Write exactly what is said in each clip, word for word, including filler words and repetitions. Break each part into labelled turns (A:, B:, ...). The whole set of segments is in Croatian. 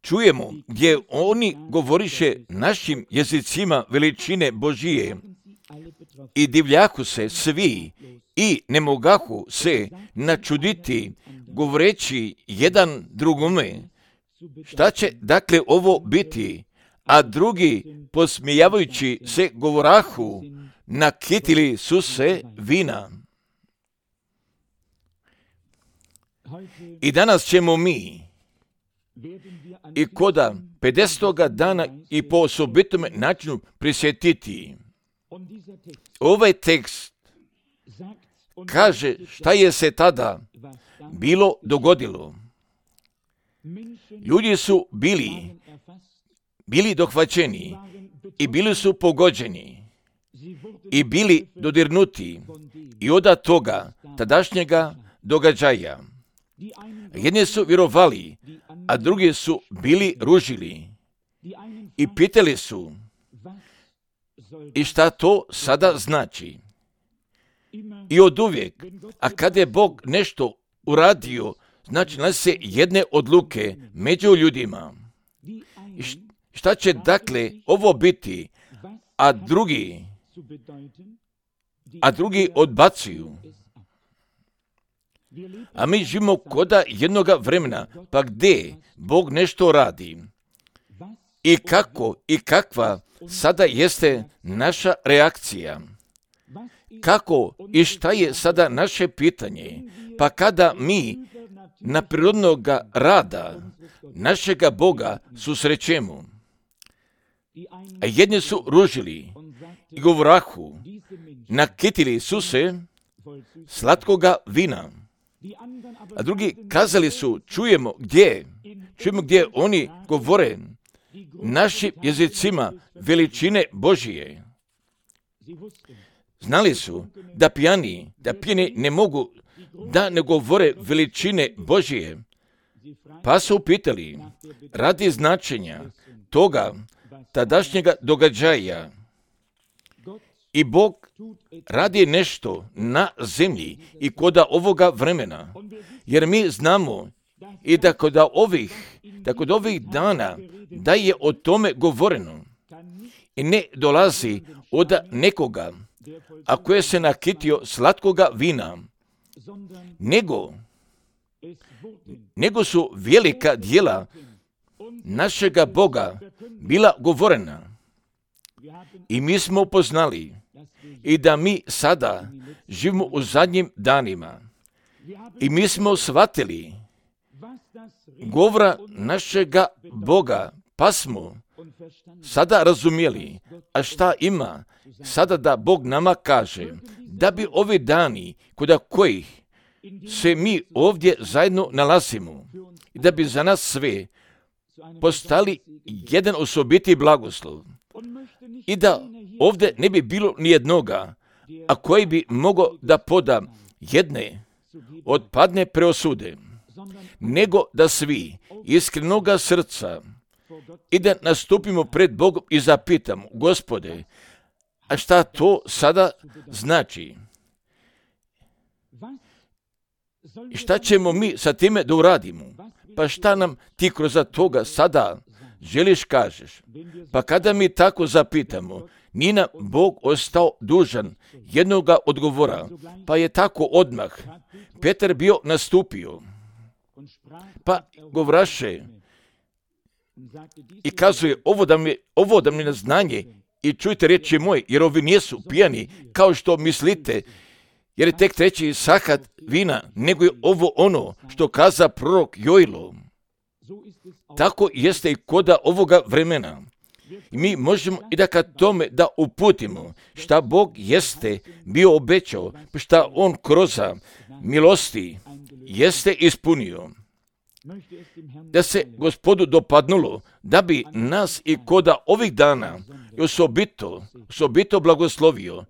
A: čujemo gdje oni govoriše našim jezicima veličine Božije i divljaku se svi i ne mogahu se načuditi govoreći jedan drugome, šta će dakle ovo biti, a drugi posmijavajući se govorahu, nakitili su se vina. I danas ćemo mi i koda pedesetoga dana i po osobitome načinu prisjetiti. Ovaj tekst kaže šta je se tada bilo dogodilo. Ljudi su bili, bili dohvaćeni i bili su pogođeni i bili dodirnuti i od toga tadašnjega događaja. Jedni su vjerovali, a drugi su bili ružili i pitali su i šta to sada znači. I od uvijek, a kada je Bog nešto uradio, znači nas se jedne odluke među ljudima. I šta će dakle ovo biti, a drugi, a drugi odbacuju. A mi živimo koda jednoga vremena, pa gdje Bog nešto radi. I kako i kakva sada jeste naša reakcija. Kako i šta je sada naše pitanje, pa kada mi na prirodnog rada našega Boga susrećemo. A jedni su ružili i govorahu, nakitili su se slatkoga vina. A drugi kazali su, čujemo gdje, čujemo gdje oni govore našim jezicima veličine Božije. Znali su da pijani, da pijani ne mogu da ne govore veličine Božije, pa su pitali radi značenja toga tadašnjega događaja. I Bog radi nešto na zemlji i koda ovoga vremena, jer mi znamo i da kod ovih, da kod ovih dana da je o tome govoreno i ne dolazi od nekoga, a koje se nakitio slatkoga vina, nego, nego su velika djela našega Boga bila govorena. I mi smo upoznali i da mi sada živimo u zadnjim danima. I mi smo shvatili govora našega Boga, pa smo sada razumjeli, a šta ima sada da Bog nama kaže, da bi ovi dani kod kojih se mi ovdje zajedno nalazimo i da bi za nas sve postali jedan osobiti blagoslov i da ovdje ne bi bilo nijednoga, a koji bi mogao da poda jedne odpadne preosude, nego da svi iskrenoga srca i da nastupimo pred Bogom i zapitamo, Gospode, a šta to sada znači? I šta ćemo mi sa time da uradimo? Pa šta nam ti kroz toga sada želiš kažeš? Pa kada mi tako zapitamo, nije nam Bog ostao dužan jednoga odgovora, pa je tako odmah Petar bio nastupio, pa govraše i kazuje ovo da mi, ovo da mi na znanje i čujte riječi moje, jer ovi nisu pijani kao što mislite, jer je tek treći sahat vina, nego je ovo ono što kaza prorok Joilo. Tako jeste i koda ovoga vremena. I mi možemo i da kad tome da uputimo šta Bog jeste bio obećao, šta On kroz milosti jeste ispunio. Da se Gospodu dopadnulo, da bi nas i koda ovih dana osobito, osobito blagoslovio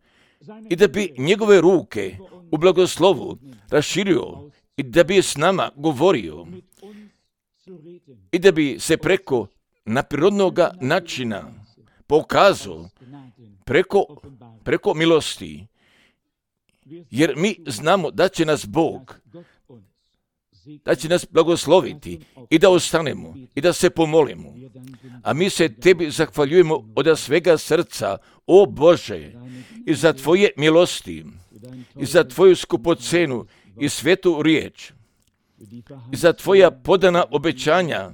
A: i da bi njegove ruke u blagoslovu raširio i da bi s nama govorio i da bi se preko naprirodnog načina pokazao preko, preko milosti, jer mi znamo da će nas Bog da će nas blagosloviti i da ostanemo i da se pomolimo. A mi se Tebi zahvaljujemo od svega srca, o Bože, i za Tvoje milosti, i za Tvoju skupocenu i svetu riječ, i za Tvoja podana obećanja,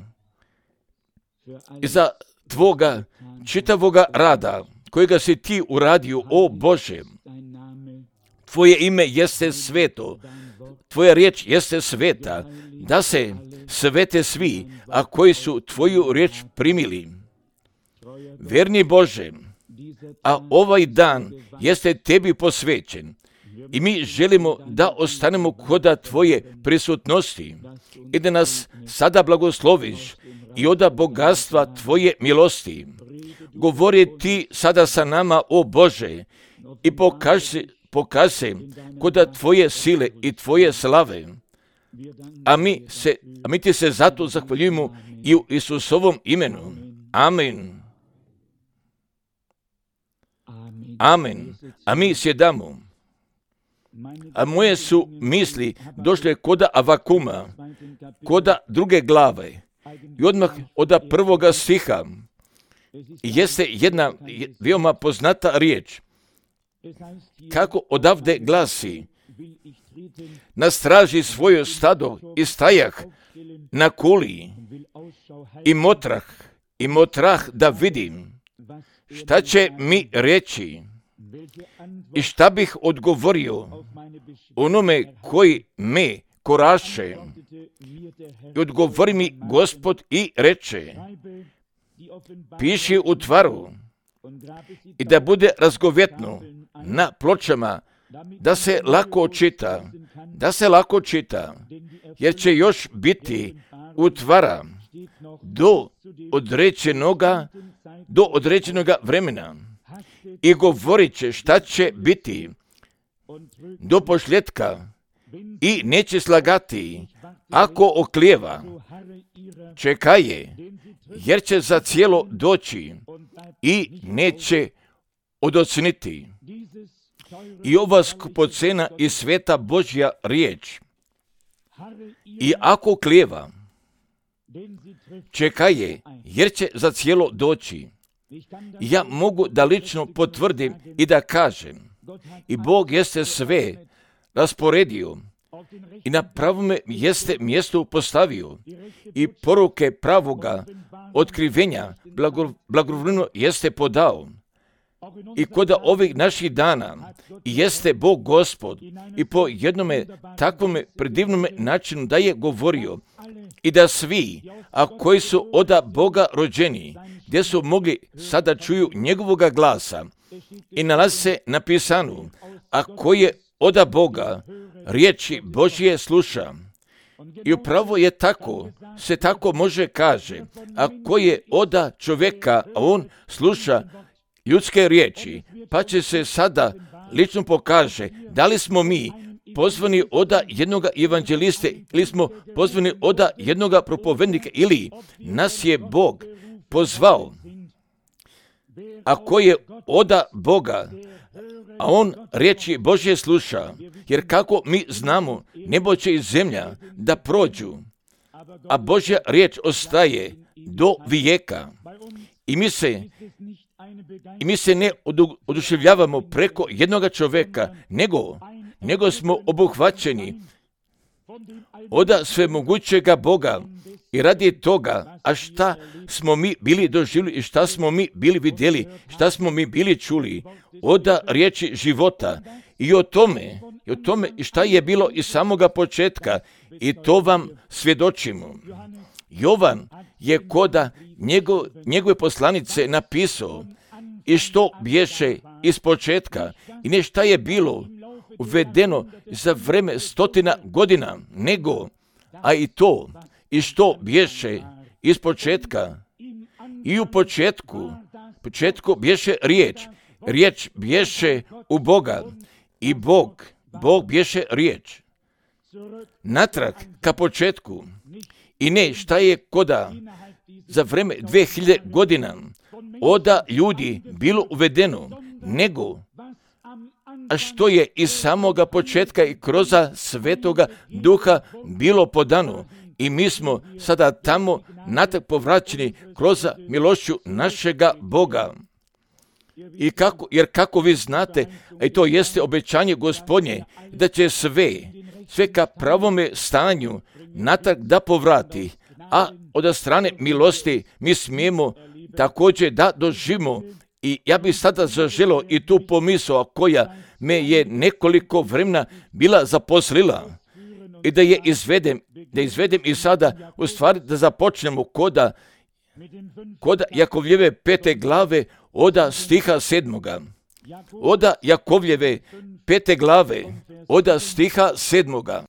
A: i za Tvoga čitavoga rada, kojega si Ti uradio, o Bože. Tvoje ime jeste sveto, Tvoja riječ jeste sveta, da se svete svi, a koji su Tvoju riječ primili. Verni Bože, a ovaj dan jeste Tebi posvećen i mi želimo da ostanemo koda Tvoje prisutnosti i da nas sada blagosloviš i oda bogatstva Tvoje milosti. Govori Ti sada sa nama, o Bože, i pokaži pokaži se koda Tvoje sile i Tvoje slave. A mi, se, a mi Ti se zato zahvaljujemo i u Isusovom imenu. Amen. Amen. A mi sjedamo. A moje su misli došle koda Avakuma, koda druge glave. I odmah od prvoga stiha jeste jedna veoma poznata riječ. Kako odavde glasi: na straži svoje stado i stajah na kuli i motrah i motrah da vidim šta će mi reći i šta bih odgovorio onome koji me koraše. I odgovori mi Gospod i reče: piši u tvaru i da bude razgovetno na pločama, da se lako čita, da se lako čita, jer će još biti utvara do određenoga, do određenoga vremena i govorit će šta će biti do posljetka i neće slagati ako oklijeva. Čekaj je, jer će za cijelo doći i neće odocniti. I ova skupocena i sveta Božja riječ. I ako klijeva, čekaj je, jer će za cijelo doći. Ja mogu da lično potvrdim i da kažem, i Bog jeste sve rasporedio i na pravome jeste mjesto postavio i poruke pravoga otkrivenja blagovremeno jeste podao. I kod ovih naših dana jeste Bog Gospod i po jednome takvome predivnome načinu da je govorio i da svi, a koji su oda Boga rođeni, gdje su mogli sada čuju njegovoga glasa i nalazi se napisano, a koji je oda Boga riječi Božje sluša. I upravo je tako, se tako može kaže, a koji je oda čovjeka, a on sluša ljudske riječi, pa će se sada lično pokaže da li smo mi pozvani oda jednoga evanđeliste ili smo pozvani oda jednoga propovednika ili nas je Bog pozvao. A ko je oda Boga, a on riječi Božje sluša, jer kako mi znamo, nebo će i zemlja da prođu, a Božja riječ ostaje do vijeka. I mi se I mi se ne oduševljavamo preko jednoga čovjeka, nego, nego smo obuhvaćeni od svemogućega Boga i radi toga, a šta smo mi bili doživjeli i šta smo mi bili vidjeli, šta smo mi bili čuli od riječi života i o tome, i o tome i šta je bilo iz samoga početka i to vam svjedočimo. Jovan je koda njego, njegove poslanice napisao i što bješe iz početka i ne šta je bilo uvedeno za vreme stotina godina, nego, a i to, i što bješe iz početka. I u početku, početku bješe riječ, riječ bješe u Boga i Bog, Bog bješe riječ. Natrag ka početku i ne šta je koda za vreme dve hiljade godina oda ljudi bilo uvedeno, nego a što je iz samoga početka i kroz Svetoga Duha bilo podano. I mi smo sada tamo natrag povraćeni kroz milošću našega Boga. I kako, jer kako vi znate, a i to jeste obećanje Gospodnje, da će sve, sve ka pravome stanju natrag da povrati, a od strane milosti mi smijemo također da doživimo. I ja bih sada zaželio i tu pomisao koja me je nekoliko vremena bila zaposlila i da je izvedem, da izvedem i sada u stvari da započnemo koda, koda Jakovljeve pete glave oda stiha sedmoga. Oda Jakovljeve pete glave oda stiha sedmoga.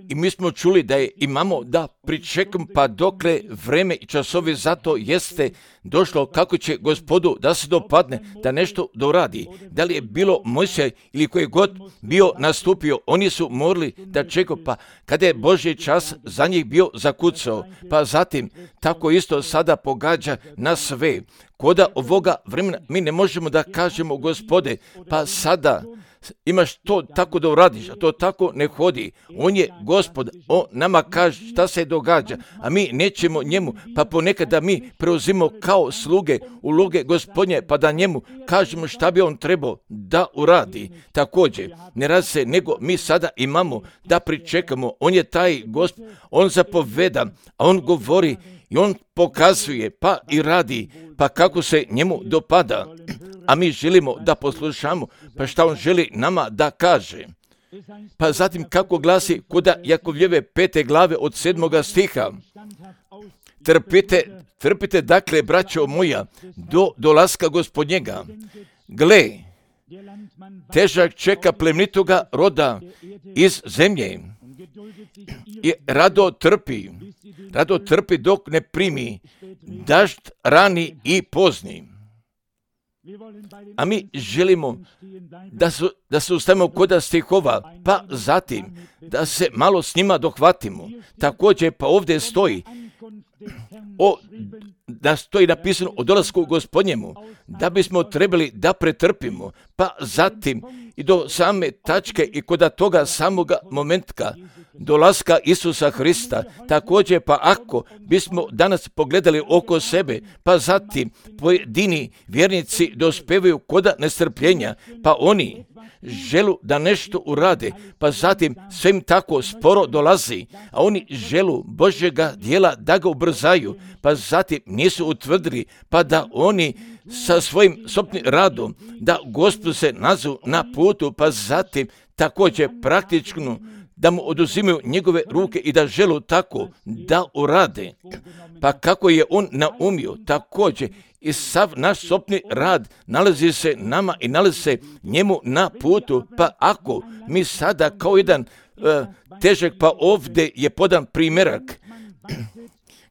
A: I mi smo čuli da je imamo da pričekam pa dokle vreme i časovi zato jeste došlo kako će Gospodu da se dopadne, da nešto doradi. Da li je bilo Mojsija ili koji god bio nastupio, oni su morali da čekaju, pa kada je Božji čas za njih bio zakucao, pa zatim tako isto sada pogađa na sve. Koda ovoga vremena mi ne možemo da kažemo Gospode, pa sada imaš to tako da uradiš, a to tako ne hodi. On je Gospod, on nama kaže šta se događa, a mi nećemo njemu, pa ponekad da mi preuzimo kao sluge uloge Gospodnje, pa da njemu kažemo šta bi on trebao da uradi. Također, ne radi se, nego mi sada imamo da pričekamo. On je taj Gospod, on zapoveda, a on govori i on pokazuje, pa i radi, pa kako se njemu dopada. A mi želimo da poslušamo, pa šta on želi nama da kaže. Pa zatim kako glasi kuda Jakovljeve pete glave od sedmoga stiha. Trpite, trpite dakle, braćo moja, do dolaska Gospodnjega. Gle, težak čeka plemenitoga roda iz zemlje i rado trpi, rado trpi dok ne primi dažd rani i pozni. A mi želimo da, su, da se ustavimo kod stihova, pa zatim da se malo s njima dohvatimo. Također pa ovdje stoji, o, da stoji napisano o dolasku Gospodnjemu, da bismo trebali da pretrpimo, pa zatim i do same tačke i kod toga samoga momentka dolaska Isusa Hrista. Također pa ako bismo danas pogledali oko sebe, pa zatim pojedini vjernici dospevaju koda nestrpljenja, pa oni želu da nešto urade, pa zatim sve im tako sporo dolazi, a oni želu Božjega dijela da ga ubrzaju, pa zatim nisu utvrdili, pa da oni sa svojim sobnim radom, da Gospod se nazu na putu, pa zatim također praktično da mu oduzimaju njegove ruke i da želu tako da urade. Pa kako je on naumio, također i sav naš sobni rad nalazi se nama i nalazi se njemu na putu, pa ako mi sada kao jedan uh, težak, pa ovdje je podan primjerak.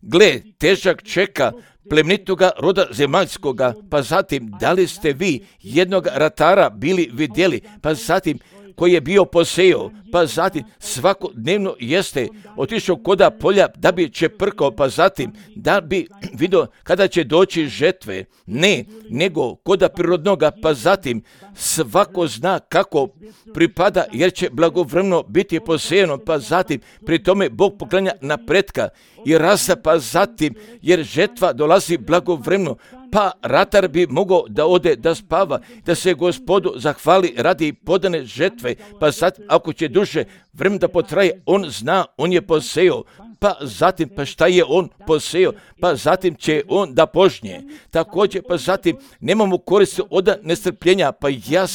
A: Gle, težak čeka plemenitoga roda zemaljskoga, pa zatim da li ste vi jednog ratara bili vidjeli, pa zatim koji je bio posejao, pa zatim svakodnevno jeste otišao koda polja da bi čeprkao, pa zatim da bi vidio kada će doći žetve. Ne, nego koda prirodnoga, pa zatim svako zna kako pripada, jer će blagovremeno biti posejano, pa zatim pri tome Bog poklanja napretka i rasa, pa zatim jer žetva dolazi blagovremeno, pa ratar bi mogao da ode da spava, da se Gospodu zahvali radi podane žetve, pa zatim ako će duže vremena da potraje, on zna, on je posejao, pa zatim pa šta je on posejao, pa zatim će on da požnje. Također pa zatim nemamo koristi od nestrpljenja, pa ja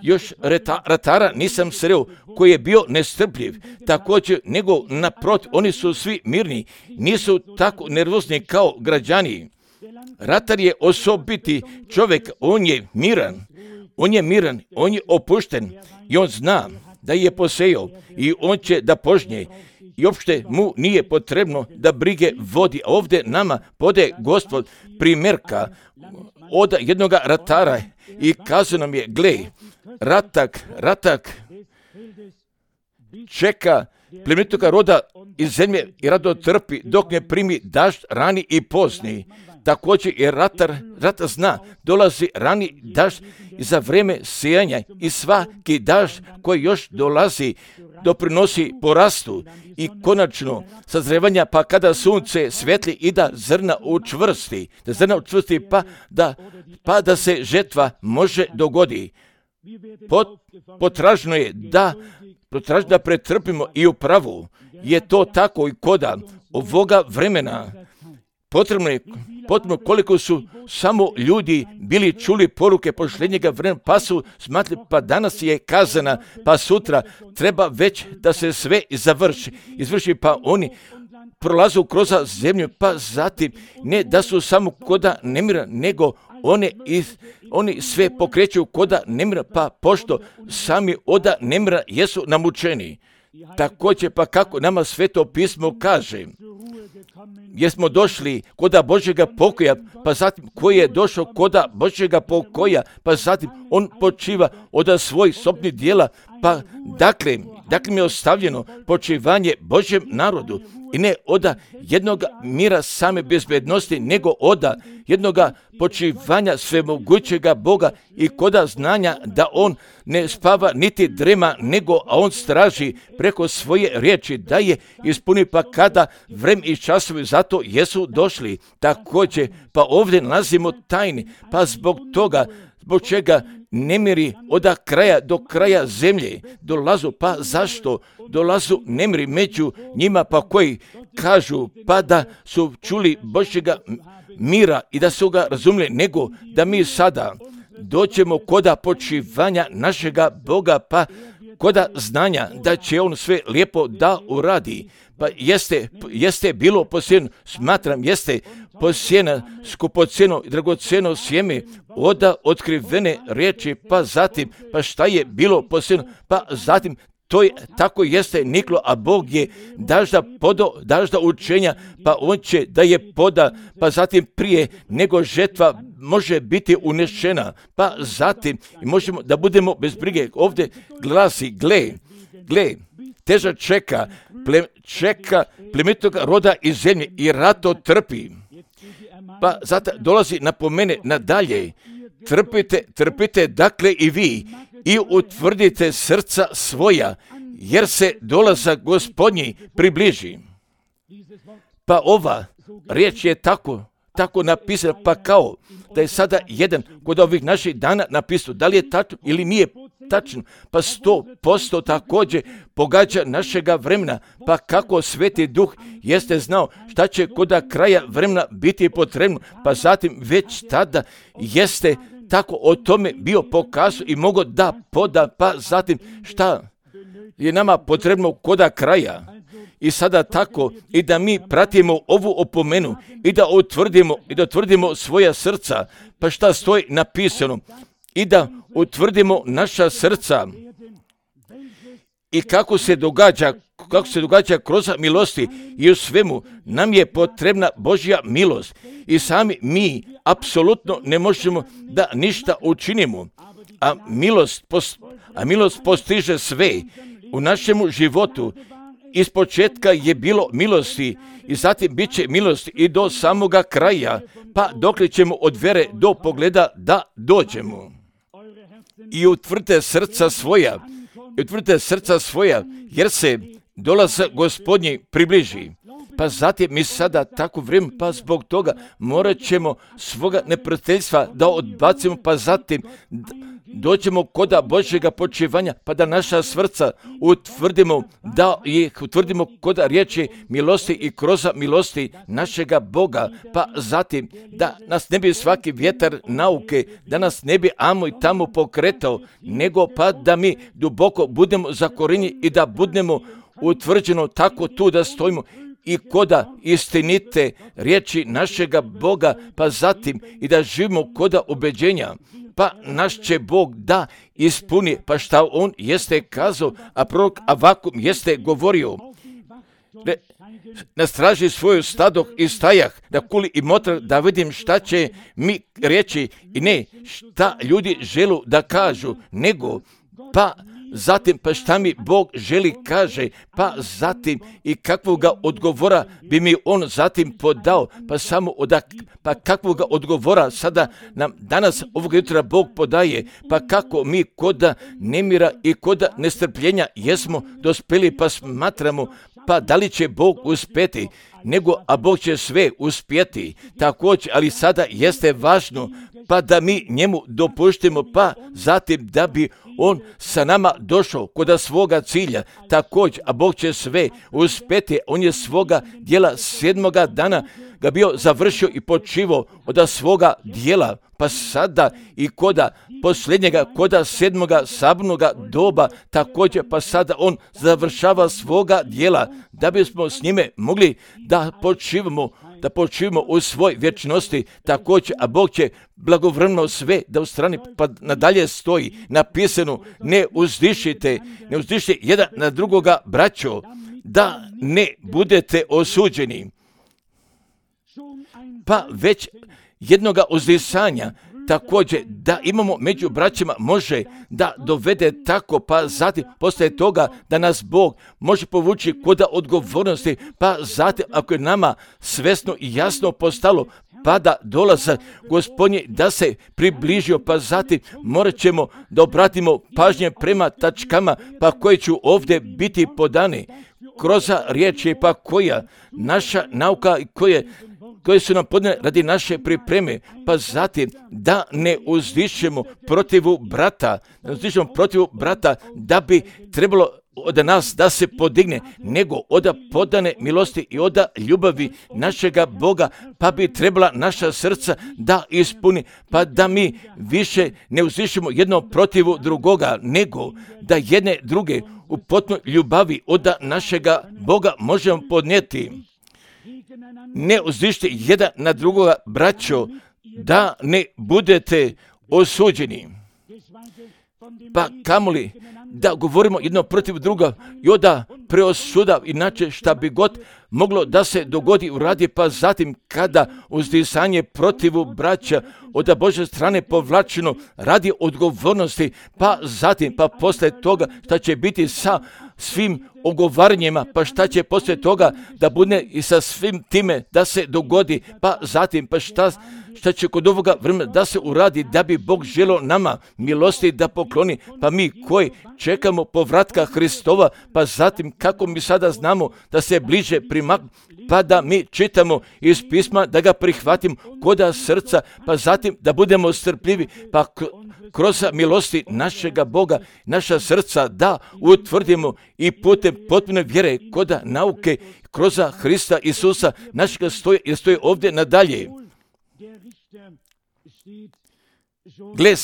A: još reta, ratara nisam sreo koji je bio nestrpljiv, također nego naprotiv, oni su svi mirni, nisu tako nervozni kao građani. Ratar je osobiti čovjek, on je miran, on je miran, on je opušten i on zna da je posejao i on će da požnje i uopšte mu nije potrebno da brige vodi. A ovdje nama pode Gospod primjerka od jednog ratara i kazao nam je, gle, ratak, ratak čeka plemenitoga roda iz zemlje i rado trpi dok ne primi dažd rani i pozni. također i ratar, ratar zna, dolazi rani dažd i za vrijeme sijanja i svaki dažd koji još dolazi doprinosi porastu i konačno sazrevanja, pa kada sunce svetli i da zrna učvrsti, da zrna učvrsti pa da, pa da se žetva može dogodi. Pot, potražno je da, potražno da pretrpimo i upravo je to tako i koda ovoga vremena. Potrebno je, potrebno koliko su samo ljudi bili čuli poruke posljednjega vremena, pa su smatrali, pa danas je kazana, pa sutra treba već da se sve završi, izvrši, pa oni prolaze kroz zemlju, pa zatim ne da su samo koda nemira, nego one iz, oni sve pokreću koda nemira, pa pošto sami oda nemira jesu namučeni. Također, pa kako nama Sveto pismo kaže, jesmo došli koda Božjega pokoja, pa zatim koji je došao koda Božjega pokoja, pa zatim on počiva od svojih sobnih dijela, pa dakle, dakle mi je ostavljeno počivanje Božjem narodu i ne od jednog mira same bezbednosti, nego od jednog počivanja svemogućega Boga i koda znanja da on ne spava niti drema, nego a on straži preko svoje riječi da je ispuni, pa kada vrem i časovi zato jesu došli. Također, pa ovdje nalazimo tajni, pa zbog toga, zbog čega nemiri od kraja do kraja zemlje dolazu, pa zašto dolazu nemiri među njima, pa koji kažu pa da su čuli Božjega mira i da su ga razumjeli, nego da mi sada dođemo koda počivanja našega Boga, pa koda znanja da će on sve lijepo da uradi. Pa jeste, jeste bilo posjeno, smatram, jeste posjena skupocjeno i dragocjeno sjeme od otkrivene riječi, pa zatim, pa šta je bilo posjeno, pa zatim to je, tako jeste niklo, a Bog je dažda podo, dažda učenja, pa on će da je poda, pa zatim prije nego žetva može biti unešena, pa zatim možemo da budemo bez brige. Ovdje glasi, gle, gle, teža čeka, ple, čeka plemenitog roda iz zemlje i rato trpi. Pa zato dolazi napomene nadalje, trpite, trpite dakle i vi i utvrdite srca svoja, jer se dolazak Gospodnji približi. Pa ova riječ je tako, tako napisana, pa kao da je sada jedan kod ovih naših dana napisao, da li je tačno ili nije tačno, pa sto posto također pogađa našega vremena, pa kako Sveti Duh jeste znao šta će kod kraja vremena biti potrebno, pa zatim već tada jeste tako o tome bio pokazao i mogo da poda, pa zatim šta je nama potrebno koda kraja. I sada tako i da mi pratimo ovu opomenu i da utvrdimo i da utvrdimo svoja srca, pa šta stoji napisano, i da utvrdimo naša srca i kako se događa, kako se događa kroz milosti i u svemu nam je potrebna Božja milost i sami mi apsolutno ne možemo da ništa učinimo, a milost, post, a milost postiže sve u našemu životu. Iz početka je bilo milosti i zatim bit će milosti i do samoga kraja, pa dokle ćemo od vere do pogleda da dođemo. I utvrdite srca svoja, i utvrdite srca svoja, jer se dolazak Gospodnji približi. Pa zatim mi sada tako vrijeme, pa zbog toga morat ćemo svoga neprijateljstva da odbacimo, pa zatim dođemo koda Božjega počivanja, pa da naša srca utvrdimo, da ih utvrdimo koda riječi milosti i kroz milosti našega Boga, pa zatim da nas ne bi svaki vjetar nauke, da nas ne bi amo i tamo pokretao, nego pa da mi duboko budemo zakorenjeni i da budemo utvrđeno tako tu da stojimo i koda istinite riječi našega Boga, pa zatim i da živimo koda ubeđenja, pa naš će Bog da ispuni, pa šta on jeste kazao, a prorok Avakum jeste govorio. Ne, nastraži svoju stadoh i stajah, da kuli i motra, da vidim šta će mi reći i ne šta ljudi želu da kažu, nego pa zatim pa šta mi Bog želi kaže, pa zatim i kakvoga odgovora bi mi on zatim podao, pa samo odak, pa kakvoga odgovora sada nam danas ovog jutra Bog podaje, pa kako mi koda nemira i koda nestrpljenja jesmo dospeli pa smatramo, pa da li će Bog uspjeti, nego a Bog će sve uspjeti. Također, ali sada jeste važno pa da mi njemu dopuštimo, pa zatim da bi on sa nama došao kod svoga cilja. Također, a Bog će sve uspjeti. On je svoga dijela sedmoga dana ga bio završio i počivao od svoga dijela, pa sada i koda posljednjega, koda sedmoga sabnoga doba, također pa sada on završava svoga dijela, da bismo s njime mogli da počivamo, da počivamo u svoj vječnosti. Također, a Bog će blagovremeno sve da u strani, pa nadalje stoji napisano, ne uzdišite, ne uzdišite jedan na drugoga, braćo, da ne budete osuđeni. Pa već jednoga uzdisanja, također da imamo među braćima može da dovede tako, pa zatim poslije toga da nas Bog može povući kod odgovornosti, pa zatim ako je nama svesno i jasno postalo, pa da dolaze Gospodnji da se približio, pa zatim morat ćemo da obratimo pažnje prema tačkama, pa koje ću ovdje biti podane kroz riječi, pa koja naša nauka i koje koje su nam podane radi naše pripreme, pa zatim da ne uzdišemo protivu brata, ne uzdišemo protivu brata da bi trebalo od nas da se podigne, nego od podane milosti i od ljubavi našega Boga, pa bi trebala naša srca da ispuni, pa da mi više ne uzdišemo jedno protivu drugoga, nego da jedne druge u potpunoj ljubavi od našega Boga možemo podnijeti. Ne uzdišite jedan na drugoga, braćo, da ne budete osuđeni. Pa kamoli da govorimo jedno protiv druga i onda preosuda, inače šta bi god moglo da se dogodi u radi, pa zatim kada uzdisanje protivu braća od Božje strane povlačeno radi odgovornosti, pa zatim pa poslije toga šta će biti sa svim ogovaranjima, pa šta će poslije toga da bude i sa svim time da se dogodi, pa zatim pa šta, šta će kod ovoga vremena da se uradi da bi Bog želio nama milosti da pokloni, pa mi koji čekamo povratka Hristova, pa zatim kako mi sada znamo da se bliže primak, pa da mi čitamo iz pisma, da ga prihvatimo koda srca, pa zatim da budemo strpljivi, pa kroz milosti našega Boga, naša srca da utvrdimo i putem potpune vjere koda nauke kroz Hrista Isusa našega stoje, jer stoje ovdje nadalje. Gle,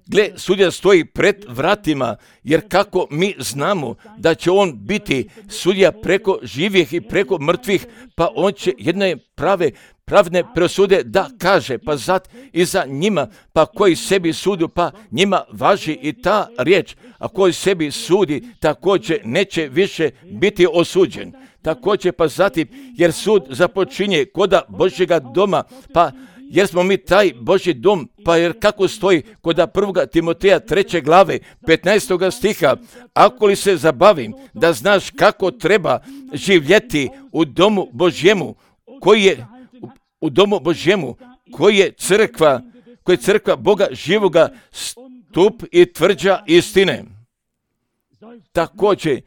A: gle, sudija stoji pred vratima, jer kako mi znamo da će on biti sudija preko živih i preko mrtvih, pa on će jedne prave, pravne presude da kaže, pa zat i za njima, pa koji sebi sudu, pa njima važi i ta riječ, a koji sebi sudi, također neće više biti osuđen. Također pa zatim, jer sud započinje koda Božjega doma, pa jer smo mi taj Božji dom, pa jer kako stoji koda prvoga Timoteja treće glave petnaestoga stiha, ako li se zabavim da znaš kako treba živjeti u domu Božjemu, koji je u domu Božjemu, koji je crkva, koji je crkva Boga živoga, stup i tvrđa istine. Također,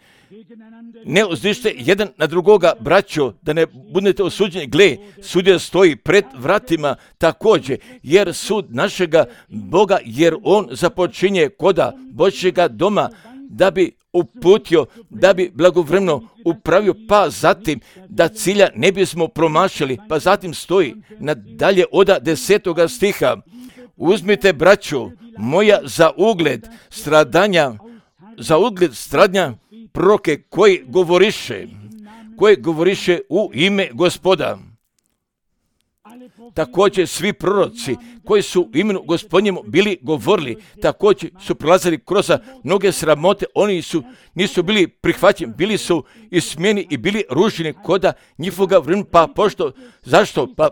A: ne uzdište jedan na drugoga, braćo, da ne budete osuđeni. Gle, sudija stoji pred vratima također, jer sud našega Boga, jer on započinje koda Božjega doma, da bi uputio, da bi blagovremeno upravio, pa zatim da cilja ne bismo promašili, pa zatim stoji nadalje oda desetoga stiha. Uzmite, braćo moja, za ugled stradanja, za ugled stradanja proroke koji govoriše, koji govoriše u ime Gospoda. Također svi proroci koji su u imenu Gospodnjemu bili govorili, također su prolazili kroz mnoge sramote, oni su, nisu bili prihvaćeni, bili su ismijeni i bili ruženi koda njihovoga vremena, pa pošto, zašto? Pa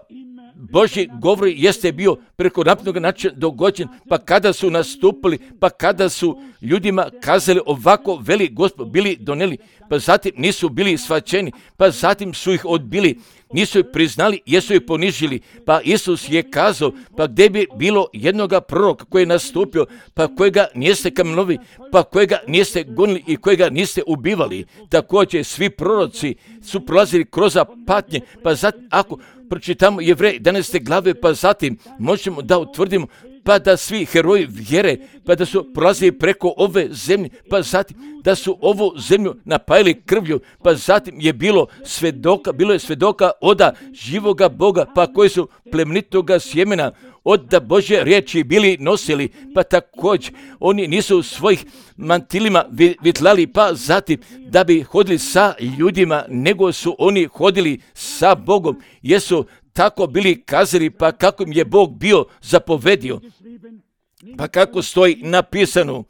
A: Božji govor jeste bio preko napisanog načina dogođen, pa kada su nastupili, pa kada su ljudima kazali ovako veli Gospod, bili doneli, pa zatim nisu bili shvaćeni, pa zatim su ih odbili, nisu ih priznali, jesu ih ponižili, pa Isus je kazao, pa gdje bi bilo jednoga proroka koji je nastupio, pa kojega niste kamenovali, pa kojega niste gonili i kojega niste ubivali. Također svi proroci su prolazili kroz patnje, pa zatim ako pročitamo Jevreji jedanaeste glave, pa zatim možemo da utvrdimo pa da svi heroji vjere, pa da su prolazili preko ove zemlje, pa zatim da su ovu zemlju napajali krvlju, pa zatim je bilo svedoka, bilo je svedoka oda živoga Boga, pa koji su plemenitoga sjemena od da Božje riječi bili nosili, pa također oni nisu u svojih mantilima vitlali, pa zatim da bi hodili sa ljudima, nego su oni hodili sa Bogom, jesu tako bili kazali, pa kako im je Bog bio zapovedio, pa kako stoji napisano,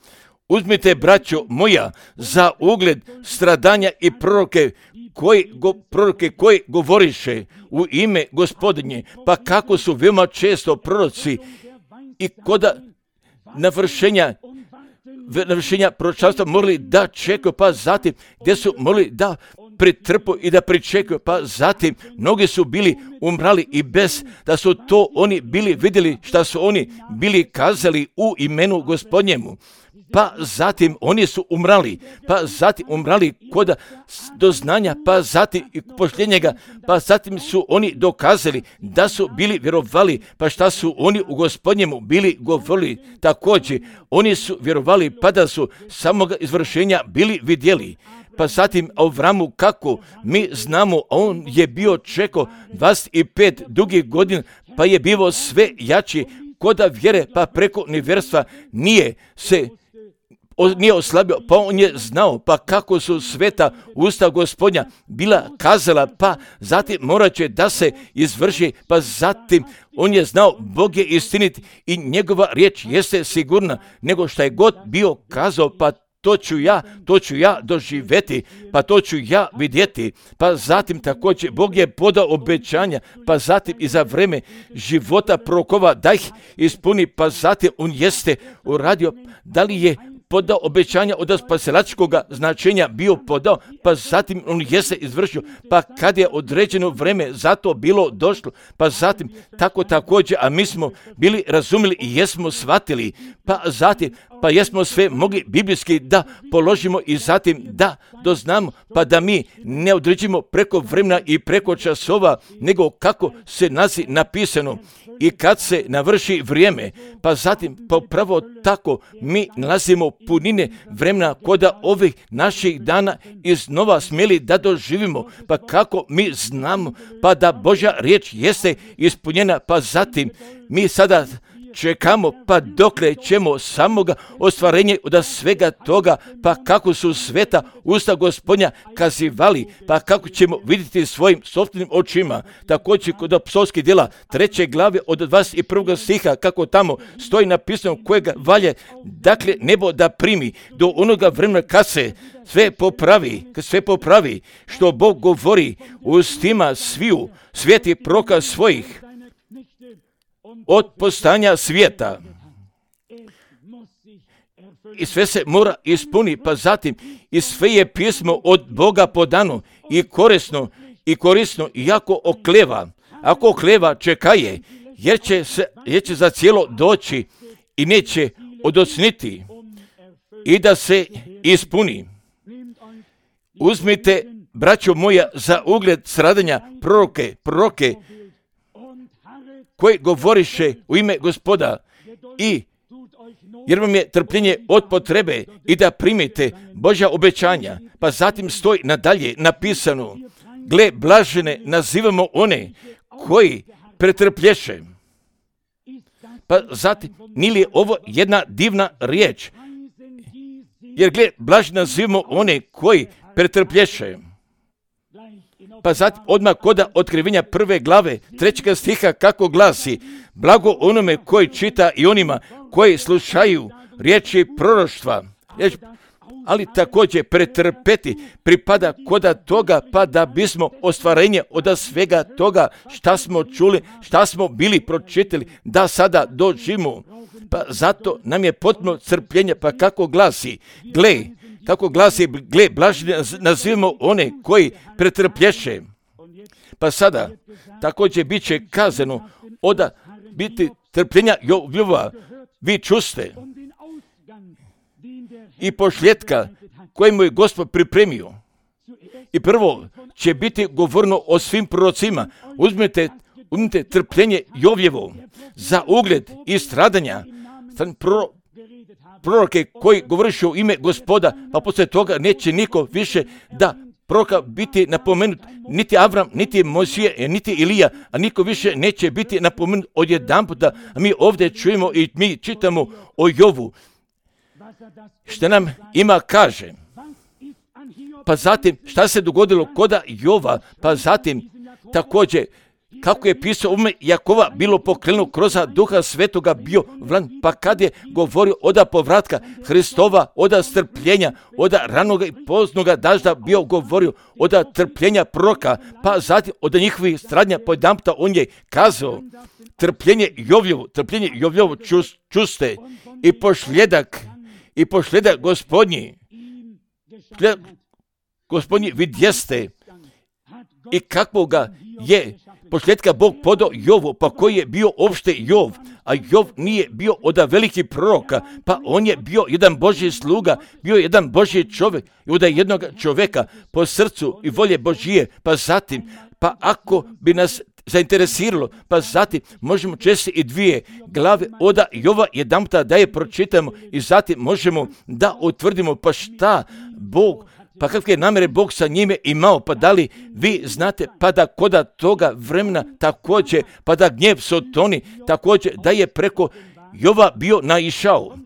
A: uzmite, braćo moja, za ugled stradanja i proroke koji, go, proroke koji govoriše u ime Gospodinje, pa kako su veoma često proroci i koda navršenja navršenja proročanstva morali da čekaju, pa zatim gdje su morali da pretrpu i da pričekaju, pa zatim mnogi su bili umrali i bez da su to oni bili vidjeli šta su oni bili kazali u imenu Gospodnjemu. Pa zatim oni su umrali, pa zatim umrali kod doznanja, pa zatim i pošljenjega, pa zatim su oni dokazali da su bili vjerovali, pa šta su oni u Gospodnjemu bili govorili. Također oni su vjerovali, pa da su samoga izvršenja bili vidjeli. Pa zatim Avramu, kako mi znamo, on je bio čekao dvadeset pet dugih godina, pa je bio sve jači koda vjere, pa preko nevjerstva nije se nije oslabio, pa on je znao, pa kako su sveta usta Gospodnja bila kazala, pa zatim morat će da se izvrši, pa zatim on je znao, Bog je istinit i njegova riječ jeste sigurna, nego šta je god bio kazao, pa to ću ja, to ću ja doživjeti, pa to ću ja vidjeti. Pa zatim također Bog je podao obećanja, pa zatim i za vreme života prorokova da ih ispuni, pa zatim on jeste uradio, da li je podao obećanja od spasilačkog značenja bio podao, pa zatim on jeste izvršio, pa kad je određeno vreme za to bilo došlo, pa zatim tako također, a mi smo bili razumjeli i jesmo shvatili, pa zatim, pa jesmo sve mogli biblijski da položimo i zatim da doznamo, pa da mi ne određimo preko vremena i preko časova, nego kako se nazi napisano. I kad se navrši vrijeme, pa zatim pa upravo tako mi nalazimo punine vremena koda ovih naših dana iznova smjeli da doživimo, pa kako mi znamo, pa da Božja riječ jeste ispunjena, pa zatim mi sada čekamo, pa dokle ćemo samoga ostvarenje od svega toga, pa kako su sveta usta Gospodnja kazivali, pa kako ćemo vidjeti svojim sopstvenim očima. Također kod psovskih djela treće glave od dvadeset prvog stiha, kako tamo stoji napisano kojega valje, dakle nebo da primi do onoga vremena kad se sve popravi, kad sve popravi, što Bog govori ustima sviju sveti proka svojih od postanja svijeta. I sve se mora ispuni, pa zatim i sve je pismo od Boga podano i korisno i korisno, iako okleva. Ako okleva, čekaje, jer će, se, jer će za cijelo doći i neće odocniti i da se ispuni. Uzmite, braćo moja, za ugled stradanja proroke, proroke, koji govoriše u ime Gospoda i jer vam je trpljenje od potrebe i da primite Božja obećanja, pa zatim stoji nadalje napisano, gle, blažene nazivamo one koji pretrplješe. Pa zatim, nije li ovo jedna divna riječ? Jer gle, blažene nazivamo one koji pretrplješe. Pa zatim odmah koda otkrivenja prve glave trećeg stiha kako glasi, blago onome koji čita i onima koji slušaju riječi proroštva. ali također pretrpeti pripada koda toga, pa da bismo ostvarenje od svega toga šta smo čuli, šta smo bili pročitali, da sada doživimo. Pa zato nam je potpuno crpljenje, pa kako glasi, gle, kako glasi, gle, blaženi nazivamo one koji pretrplješe. Pa sada također bit će kazano oda biti trpljenja Jovova, vi čuste i pošljetka kojemu je Gospod pripremio. I prvo će biti govorno o svim prorocima. Uzmite, uzmite trpljenje Jovjevo za ugled i stradanja. Pro, proroke koji govoriš u ime Gospoda, pa poslije toga neće niko više da proroka biti napomenut, niti Avram, niti Mojsije, niti Ilija, a niko više neće biti napomenut odjedanputa. A mi ovdje čujemo i mi čitamo o Jovu. Što nam ima kaže. Pa zatim, šta se dogodilo koda Jova, pa zatim također, kako je pisao u ime Jakova, bilo pokrenuo kroz Duha Svetoga bio vlan, pa kad je govorio oda povratka Hristova, oda strpljenja, oda ranoga i poznoga dažda bio govorio oda trpljenja proroka, pa zatim oda njihovih stradnja pojedanputa on je kazao trpljenje Jovljevo, trpljenje Jovljevo čus, čuste i pošljedak, i pošljedak Gospodnji, Gospodnji vidjeste i kakvog ga je posljedka Bog podao Jovu, pa koji je bio opšte Jov, a Jov nije bio od veliki proroka, pa on je bio jedan Božji sluga, bio jedan Božji čovjek i od jednog čovjeka po srcu i volje Božije, pa zatim, pa ako bi nas zainteresiralo, pa zatim možemo česti i dvije glave oda Jova jedanputa da je pročitamo i zatim možemo da utvrdimo pa šta Bog, pa kakve namjere Bog sa njime imao, pa da li vi znate, pa da koda toga vremena također, pa da gnjev Sotoni također, da je preko Jova bio naišao.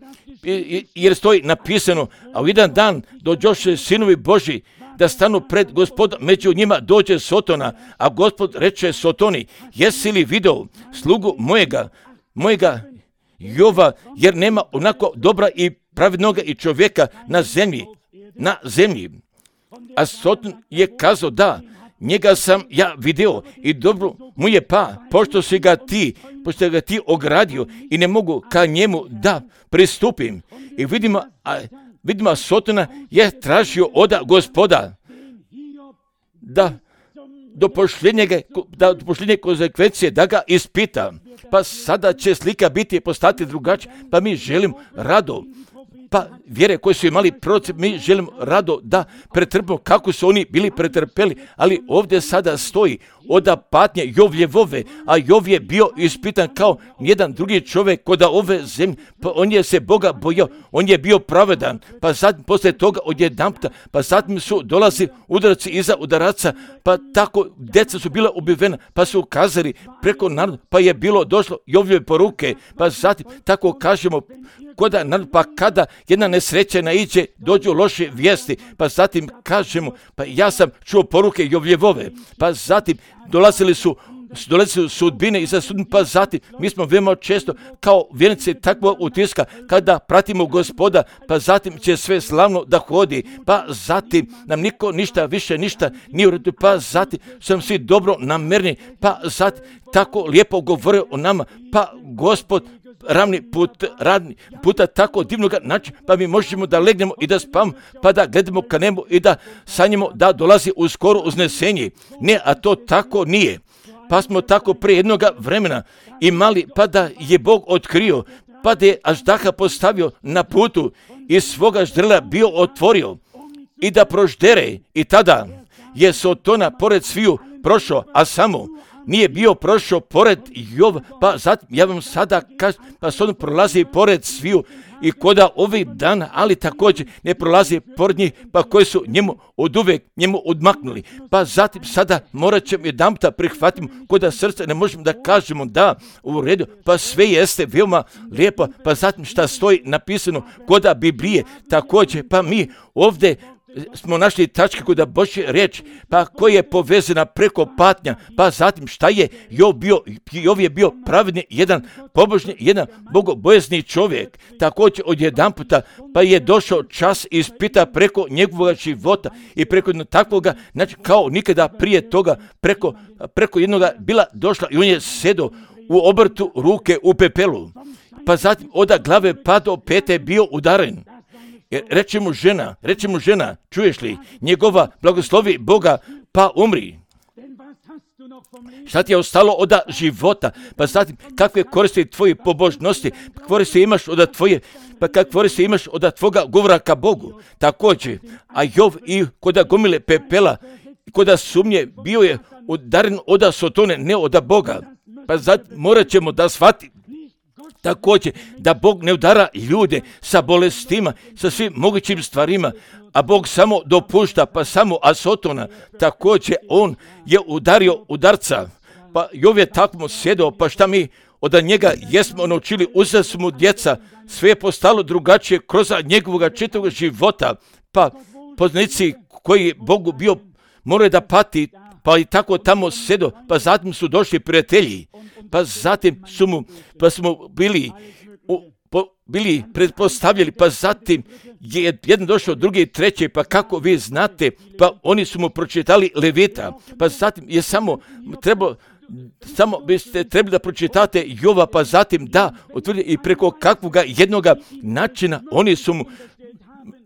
A: Jer stoji napisano, a u jedan dan dođoše sinovi Božji da stanu pred Gospodom, među njima dođe Sotona, a Gospod reče Sotoni, jesi li video slugu mojega, mojega Jova, jer nema onako dobra i pravednoga i čovjeka na zemlji, na zemlji. A Soton je kazao da, njega sam ja video i dobro mu je pa, pošto si ga ti, pošto ga ti ogradio i ne mogu ka njemu da pristupim. I vidimo, a, vidimo Sotona je tražio oda Gospoda da do pošljenje, da do pošljenje konsekvencije da ga ispita. Pa sada će slika biti postati drugačija, pa mi želim rado. Pa vjere koje su imali proroci, mi želimo rado da pretrpimo kako su oni bili pretrpeli, ali ovdje sada stoji oda patnje Jovljevove, a Jov je bio ispitan kao jedan drugi čovjek koda ove zemlje, pa on je se Boga bojao, on je bio pravedan, pa zatim poslije toga odjedanputa, pa zatim su dolazi udarci iza udaraca, pa tako djeca su bila ubivena, pa su kazali preko naroda, pa je bilo došlo Jovljeve poruke, pa zatim tako kažemo, koda narod, pa kada jedna nesreća naiđe, dođu loše vijesti, pa zatim kažemo, pa ja sam čuo poruke Jovljevove, pa zatim dolazili su dolazili su sudbine i za sudbine, pa zatim mi smo veoma često kao vjernici takvog utiska kada pratimo Gospoda, pa zatim će sve slavno da hodi, pa zatim nam niko ništa više ništa nije u redu, pa zatim sam svi dobro namerni, pa zatim tako lijepo govore o nama, pa Gospod ravni put, radni puta tako divnog načina, pa mi možemo da legnemo i da spavamo, pa da gledamo ka nebu i da sanjamo da dolazi uskoro uznesenje. Ne, a to tako nije. Pa smo tako prije jednog vremena imali, pa da je Bog otkrio, pa da je aždaha postavio na putu i svoga ždrela bio otvorio i da proždere, i tada je Sotona pored sviju prošao, a samo nije bio prošao pored Jova, pa zatim ja vam sada kažem, pa Sotona prolazi pored sviju i koda ovih dana, ali također ne prolazi pored njih, pa koji su njemu od uvijek njemu odmaknuli. Pa zatim sada morat ćemo jedanputa prihvatimo koda srce, ne možemo da kažemo da u redu, pa sve jeste veoma lijepo, pa zatim šta stoji napisano koda Biblije, također, pa mi ovdje smo našli tačke kod Božje riječ, pa koja je povezana preko patnja, pa zatim šta je Jov bio, Jov je bio pravedni, jedan pobožni, jedan bogobojazni čovjek, također odjedanputa, pa je došao čas ispita preko njegovog života i preko takvoga, znači kao nikada prije toga, preko, preko jednoga bila došla i on je sedao u obrtu ruke u pepelu, pa zatim od glave pa do pete bio udaren. Reče mu žena, reče mu žena, čuješ li, njegova blagoslovi Boga, pa umri. Šta ti je ostalo od života? Pa zatim, kakve koristi tvoje pobožnosti, koristi imaš od tvoje, pa kakve koristi imaš od tvoga govora ka Bogu. Također, a Jov i koda gomile pepela, koda sumnje, bio je udaren od Sotone, ne od Boga. Pa zatim, morat ćemo da shvati također da Bog ne udara ljude sa bolestima, sa svim mogućim stvarima, a Bog samo dopušta, pa samo Asotona, također on je udario udarca, pa Jov je tako sjedao, pa šta mi od njega jesmo naučili, uzeli su mu djeca, sve je postalo drugačije kroz njegovog čitavog života, pa poznanici koji Bogu bio moraju da pati, pa i tako tamo sjedo, pa zatim su došli prijatelji, pa zatim su mu, pa smo bili, u, po, bili pretpostavljali, pa zatim je jedan došao, drugi, treći, pa kako vi znate, pa oni su mu pročitali Levita, pa zatim je samo trebalo, samo biste trebali da pročitate Jova, pa zatim da, utvrdi i preko kakvoga jednoga načina oni su mu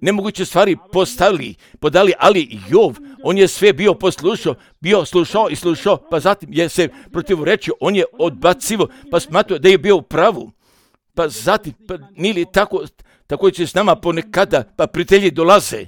A: nemoguće stvari postavili, podali, ali Jov, on je sve bio poslušao, bio slušao i slušao, pa zatim je se protivrečio, on je odbacivo, pa smatrao da je bio u pravu. Pa zatim, pa nije li tako, tako će s nama ponekada, pa prijatelji dolaze,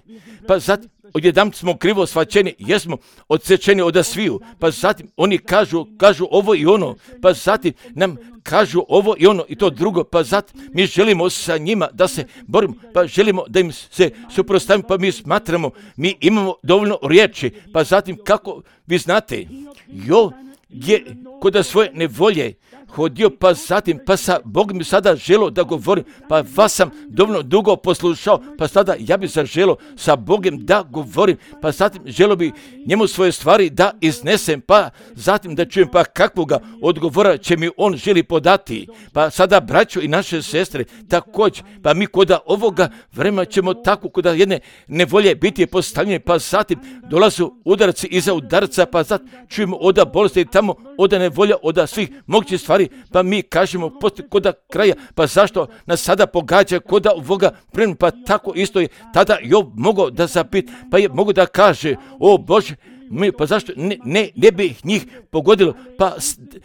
A: pa zatim, odjednom smo krivo shvaćeni, jesmo odsečeni od sviju, pa zatim oni kažu, kažu ovo i ono, pa zatim nam kažu ovo i ono i to drugo, pa zatim mi želimo sa njima da se borimo, pa želimo da im se suprotstavimo, pa mi smatramo, mi imamo dovoljno riječi, pa zatim kako vi znate, Jov je kod svoje nevolje hodio, pa zatim, pa sa Bogom mi sada želo da govorim, pa vas sam dovoljno dugo poslušao, pa sada ja bi zaželo sa Bogom da govorim, pa zatim želo bi njemu svoje stvari da iznesem, pa zatim da čujem pa kakvoga odgovora će mi on želi podati, pa sada braćo i naše sestre također, pa mi kod ovoga vremena ćemo tako kod jedne nevolje biti postavljeni, pa zatim dolazu udarci iza udarca, pa zatim čujemo od bolesti tamo, od nevolja, od svih mogućih stvari, pa mi kažemo poslije koda kraja, pa zašto nas sada pogađa koda ovoga vremena, pa tako isto je tada Jov mogao da zapit, pa je mogao da kaže, o Bože, mi, pa zašto ne, ne, ne bi njih pogodilo, pa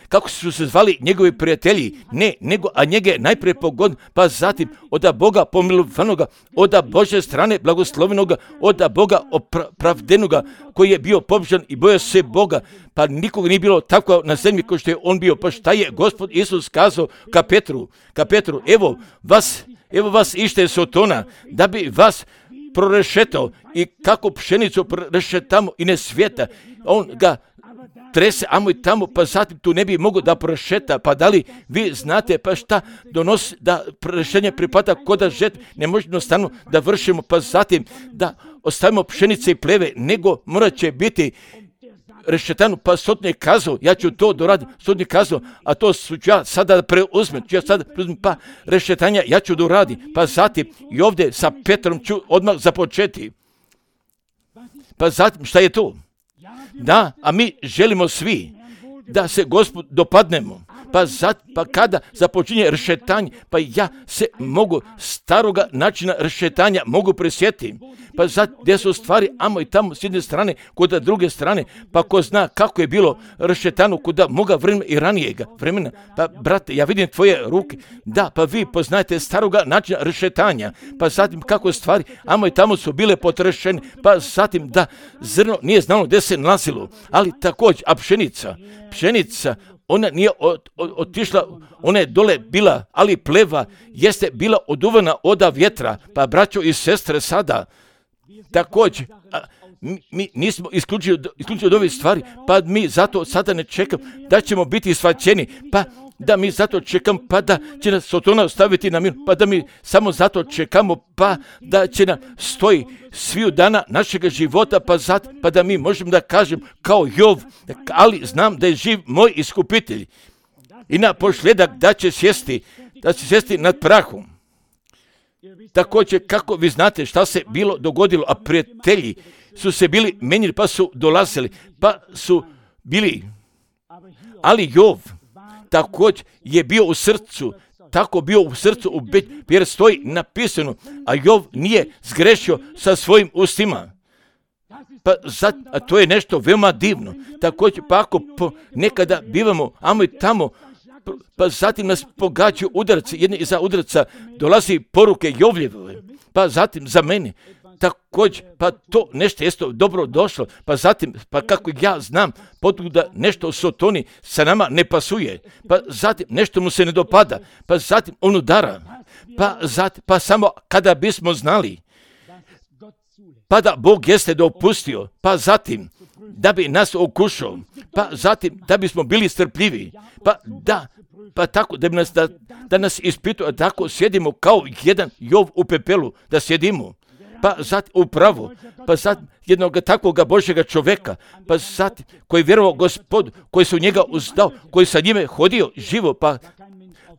A: kako su se zvali njegovi prijatelji, ne, nego, a njega je najprije pogodilo, pa zatim od Boga pomilovanoga, od Bože strane blagoslovenoga, od Boga opravdenoga, koji je bio pobožan i bojao se Boga, pa nikog nije bilo tako na zemlji kao što je on bio, pa šta je Gospod Isus kazao ka Petru, ka Petru, evo vas, evo vas ište Sotona, da bi vas prorešetao i kako pšenicu prorešetamo i ne svijeta, on ga trese amo i tamo, pa zatim tu ne bi mogao da prorešeta, pa da li vi znate pa šta donosi da rešenje pripada koda žet, ne možemo jednostavno da vršimo, pa zatim da ostavimo pšenice i pleve, nego morat će biti rešetanu, pa sotnik kazao, ja ću to doraditi, sotnik kazao, a to ću ja sada preuzmem, ću ja sada preuzmem, pa rešetanja ja ću doraditi, pa zatim i ovdje sa Petrom ću odmah započeti. Pa zatim šta je to? Da, a mi želimo svi da se Gospod dopadnemo, pa, zat, pa kada započinje rešetanje, pa ja se mogu staroga načina rešetanja mogu presjetiti, pa zato gdje su stvari amo i tamo s jedne strane, kod druge strane, pa ko zna kako je bilo rešetano kod moga vremena i ranijega vremena, pa brate, ja vidim tvoje ruke, da, pa vi poznajete staroga načina rešetanja, pa zatim kako stvari amo i tamo su bile potrešene, pa zatim da zrno nije znalo gdje se nalazilo, ali također, a pšenica, pšenica, ona nije od, od, otišla, ona je dole bila, ali pleva jeste bila oduvana od vjetra, pa braćo i sestre sada, također, a, mi, mi nismo isključili, isključili od ove stvari, pa mi zato sada ne čekamo da ćemo biti shvaćeni, pa da mi zato čekamo, pa da će nas Sotona ostaviti na mir, pa da mi samo zato čekamo, pa da će nam stoji sviju dana našega života, pa, zat, pa da mi možemo da kažem kao Jov, ali znam da je živ moj iskupitelj. I na posljedak da će sjesti, da će sjesti nad prahom. Također, kako vi znate šta se bilo dogodilo, a prijatelji su se bili menjili, pa su dolazili, pa su bili, ali Jov također je bio u srcu, tako bio u srcu, u be, jer stoji napisano, a Jov nije zgrešio sa svojim ustima. Pa zat, a to je nešto veoma divno. Također, pa ako po, nekada bivamo, amo i tamo, pa zatim nas pogađaju udarci, jedni iza udarca dolazi poruke Jovljeve, pa zatim za mene, također, pa to nešto jeste dobro došlo, pa zatim, pa kako ja znam, da nešto u Sotoni sa nama ne pasuje, pa zatim nešto mu se ne dopada, pa zatim on udara, pa zatim, pa samo kada bismo znali, pa da Bog jeste dopustio, pa zatim, da bi nas okušao, pa zatim, da bismo bili strpljivi, pa da, pa tako, da bi nas, da, da nas ispituje, tako sjedimo kao jedan Jov u pepelu, da sjedimo, pa zatim upravo, pa zatim jednog takvog Božjega čoveka, pa zatim koji vjerovao Gospodu, koji se u njega uzdao, koji sa njime hodio živo, pa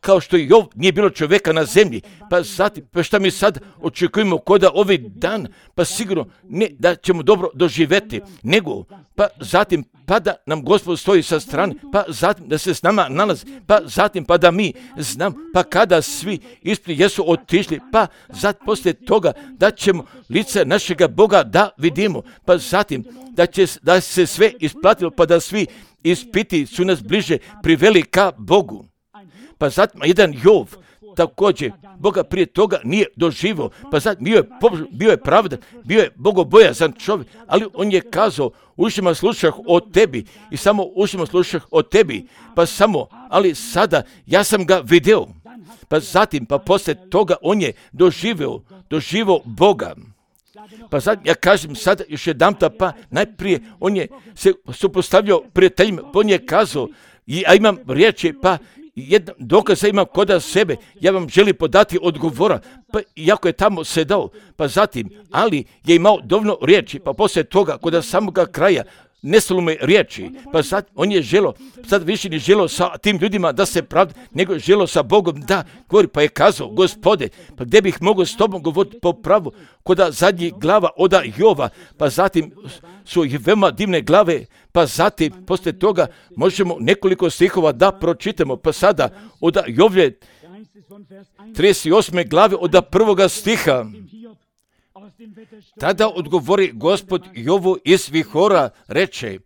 A: kao što Jov nije bilo čovjeka na zemlji, pa zatim, pa šta mi sad očekujemo koda ovaj dan, pa sigurno ne da ćemo dobro doživjeti, nego, pa zatim, pa da nam Gospod stoji sa strane, pa zatim da se s nama nalazi, pa zatim, pa da mi znam, pa kada svi ispred jesu otišli, pa zatim poslije toga da ćemo lice našega Boga da vidimo, pa zatim da će da se sve isplatilo, pa da svi ispiti su nas bliže priveli ka Bogu. Pa zatim jedan Jov, također, Boga prije toga nije doživio, pa zatim bio je, bio je pravdan, bio je bogobojazan čovjek, ali on je kazao, ušima slušah o tebi i samo ušima slušah o tebi, pa samo, ali sada ja sam ga video, pa zatim, pa poslije toga on je doživio, doživio Boga. Pa sad ja kažem sada još jedanputa, pa najprije on je se supostavljao prijateljima, on je kazao, ja imam riječi, pa jedan dokaz imam kod sebe, ja vam želim podati odgovora, pa iako je tamo sedao, pa zatim, ali je imao dovoljno riječi, pa poslije toga, kod samoga kraja, nestalo mu je riječi, pa sad on je želo, sad više nije želo sa tim ljudima da se pravda, nego je želo sa Bogom da govori, pa je kazao, Gospode, pa gdje bih mogao s tobom govoriti po pravu, kod zadnjih glava od Jova, pa zatim su i veoma divne glave, pa zatim, poslije toga, možemo nekoliko stihova da pročitamo, pa sada od Jovlje trideset osme glave od prvoga stiha. Tada odgovori Gospod Jovu iz vihora, reče,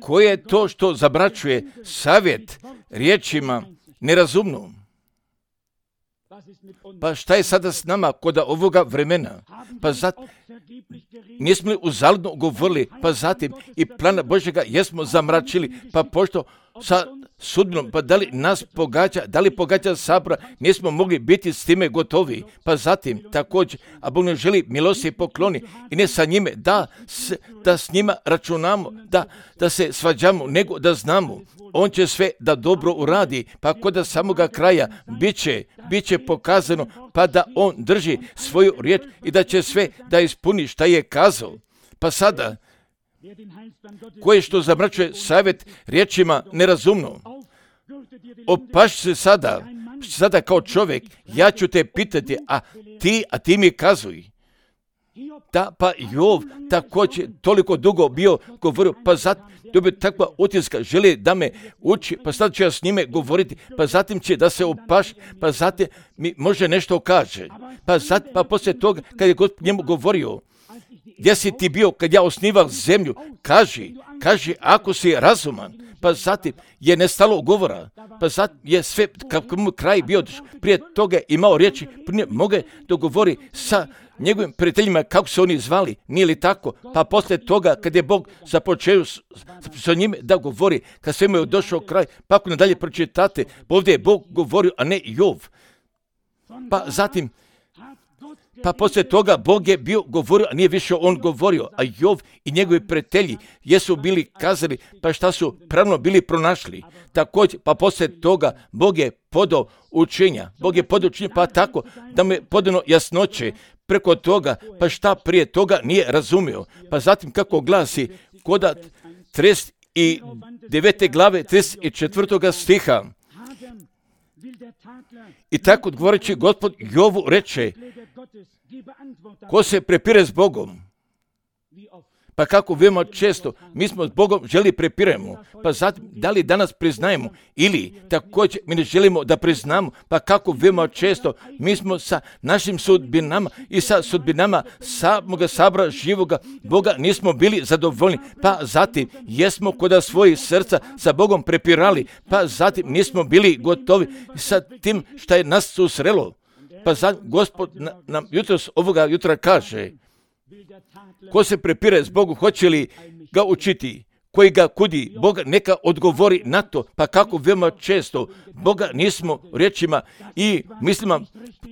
A: koje je to što zabraćuje savjet riječima nerazumno? Pa šta je sada s nama kod ovoga vremena? Pa zatim, nismo li uzaludno govorili, pa zatim i plana Božjega jesmo zamračili, pa pošto sa sudbinom, pa da li nas pogađa, da li pogađa sabora, nismo mogli biti s time gotovi. Pa zatim također, a Bog ne želi milosti pokloni i ne sa njime, da, s, da s njima računamo, da, da se svađamo, nego da znamo. On će sve da dobro uradi, pa kod samoga kraja bit će, bit će pokazano, pa da on drži svoju riječ i da će sve da ispuni šta je kazao. Pa sada, koje što zamračuje savjet riječima nerazumno, opaš se sada, sada kao čovjek, ja ću te pitati, a ti, a ti mi kazuj. Da, pa Jov također toliko dugo bio govorio, pa zatim dobio takva utiska, želi da me uči, pa sad ću ja s njime govoriti, pa zatim će da se opaš, pa zatim mi može nešto kaže. Pa zatim, pa poslije toga, kad je Gospod njemu govorio, gdje si ti bio kad ja osnival zemlju, kaži, kaži ako si razuman, pa zatim je nestalo govora, pa zatim je sve, kako mu kraj bio, prije toga imao riječi, prije moge dogovori sa njegovim prijateljima kako se oni zvali, nije li tako? Pa poslije toga kad je Bog započeo sa njime da govori, kad sve mu je došao kraj, pa ako nadalje pročitate, ovdje je Bog govorio, a ne Jov. Pa zatim, Pa poslije toga Bog je bio govorio, a nije više on govorio, a Jov i njegovi prijatelji jesu bili kazali, pa šta su pravno bili pronašli. Također, pa poslije toga Bog je podao učenja, Bog je podao učenja, pa tako da mu je podano jasnoće preko toga, pa šta prije toga nije razumio. Pa zatim kako glasi koda trideset devete glave trideset četvrtoga stiha. I tako odgovoreći Gospod Jovu reče, ko se prepire s Bogom? Pa kako veoma često mi smo s Bogom želi prepiremo, pa zatim da li danas priznajemo ili također mi ne želimo da priznamo, pa kako veoma često mi smo sa našim sudbinama i sa sudbinama samoga sabora živoga Boga nismo bili zadovoljni, pa zatim jesmo kod svojih srca sa Bogom prepirali, pa zatim nismo bili gotovi sa tim što je nas susrelo. Pa zatim Gospod nam jutros ovoga jutra kaže, ko se prepire s Bogom, hoće li ga učiti? Koji ga kudi, Boga neka odgovori na to. Pa kako veoma često Boga nismo riječima i mislima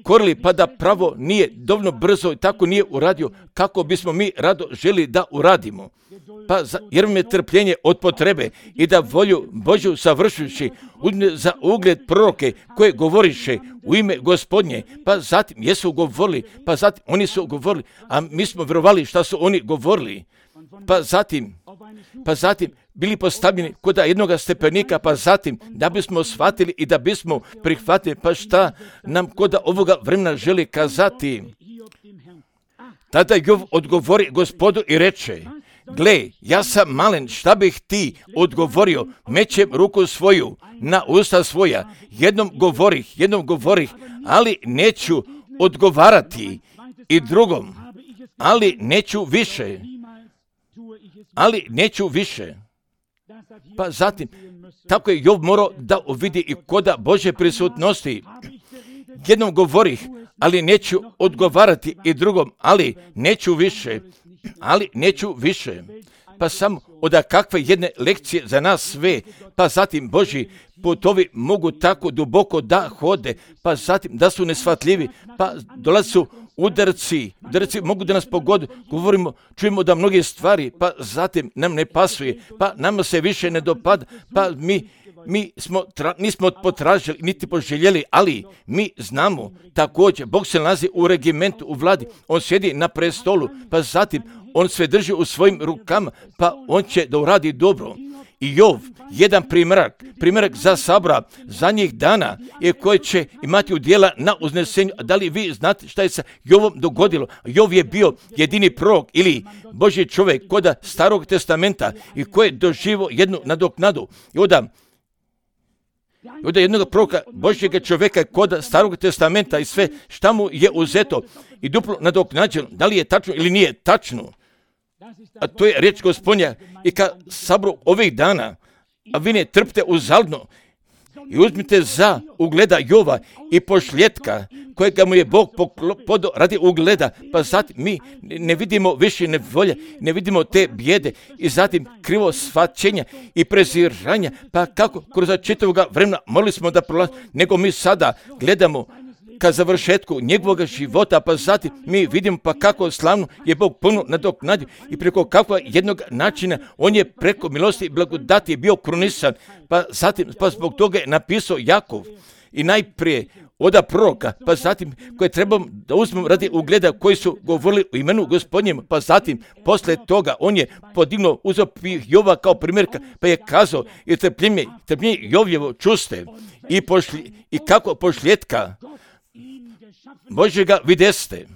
A: korili, pa da pravo nije dovoljno brzo i tako nije uradio kako bismo mi rado želi da uradimo. Pa za, jer vam je trpljenje od potrebe i da volju Božju savršujući uzme za ugled proroke koje govoriše u ime Gospodnje, pa zatim jesu govorili, pa zatim oni su govorili, a mi smo vjerovali šta su oni govorili. Pa zatim, pa zatim bili postavljeni kod jednoga stepenika, pa zatim da bismo shvatili i da bismo prihvatili, pa šta nam kod ovoga vremena želi kazati. Tada Jov odgovori Gospodu i reče, gle, ja sam malen, šta bih ti odgovorio, mećem ruku svoju na usta svoja, jednom govorih, jednom govorih, ali neću odgovarati i drugom, ali neću više, ali neću više. Pa zatim, tako je Jov morao da uvidi i koda Božje prisutnosti. Jednom govorih, ali neću odgovarati i drugom, ali neću više, ali neću više. Pa samo od kakve jedne lekcije za nas sve, pa zatim Božji putovi mogu tako duboko da hode, pa zatim da su neshvatljivi, pa dolaze su udarci, udarci mogu da nas pogode, govorimo, čujemo da mnoge stvari, pa zatim nam ne pasuje, pa nama se više ne dopada, pa mi, mi smo tra, nismo potražili, niti poželjeli, ali mi znamo također, Bog se nalazi u regimentu, u vladi, on sjedi na prestolu, pa zatim on sve drži u svojim rukama, pa on će da uradi dobro. I Jov, jedan primjerak, primjerak za sabora zadnjih dana je koji će imati udjela na uznesenju. Da li vi znate šta je sa Jovom dogodilo? Jov je bio jedini prorok ili Božji čovjek kod Starog testamenta i koji je doživio jednu nadoknadu. I onda I onda jednog proroka Božjega čovjeka kod Starog testamenta i sve šta mu je uzeto i duplo nadoknađeno. Da li je tačno ili nije tačno? A to je riječ Gospodnja i ka sabru ovih dana, a vi ne trpite uzaludno i uzmite za ugleda Jova i pošljetka kojega mu je Bog podao radi ugleda, pa zatim mi ne vidimo više nevolje, ne vidimo te bijede i zatim krivo shvaćenja i preziranja, pa kako kroz čitavoga vremena morali smo da prolazi, nego mi sada gledamo ka završetku njegovog života, pa zatim mi vidimo pa kako slavno je Bog puno nadoknadio i preko kakva jednog načina on je preko milosti i blagodati bio krunisan, pa zatim pa zbog toga je napisao Jakov i najprije oda proroka, pa zatim koje trebamo da uzmemo radi ugleda koji su govorili u imenu Gospodnjem, pa zatim posle toga on je podignuo uzeo Jova kao primjerka, pa je kazao i trpljenje, trpljenje Jovljevo čuste i, pošli, i kako pošljetka Božjega videste.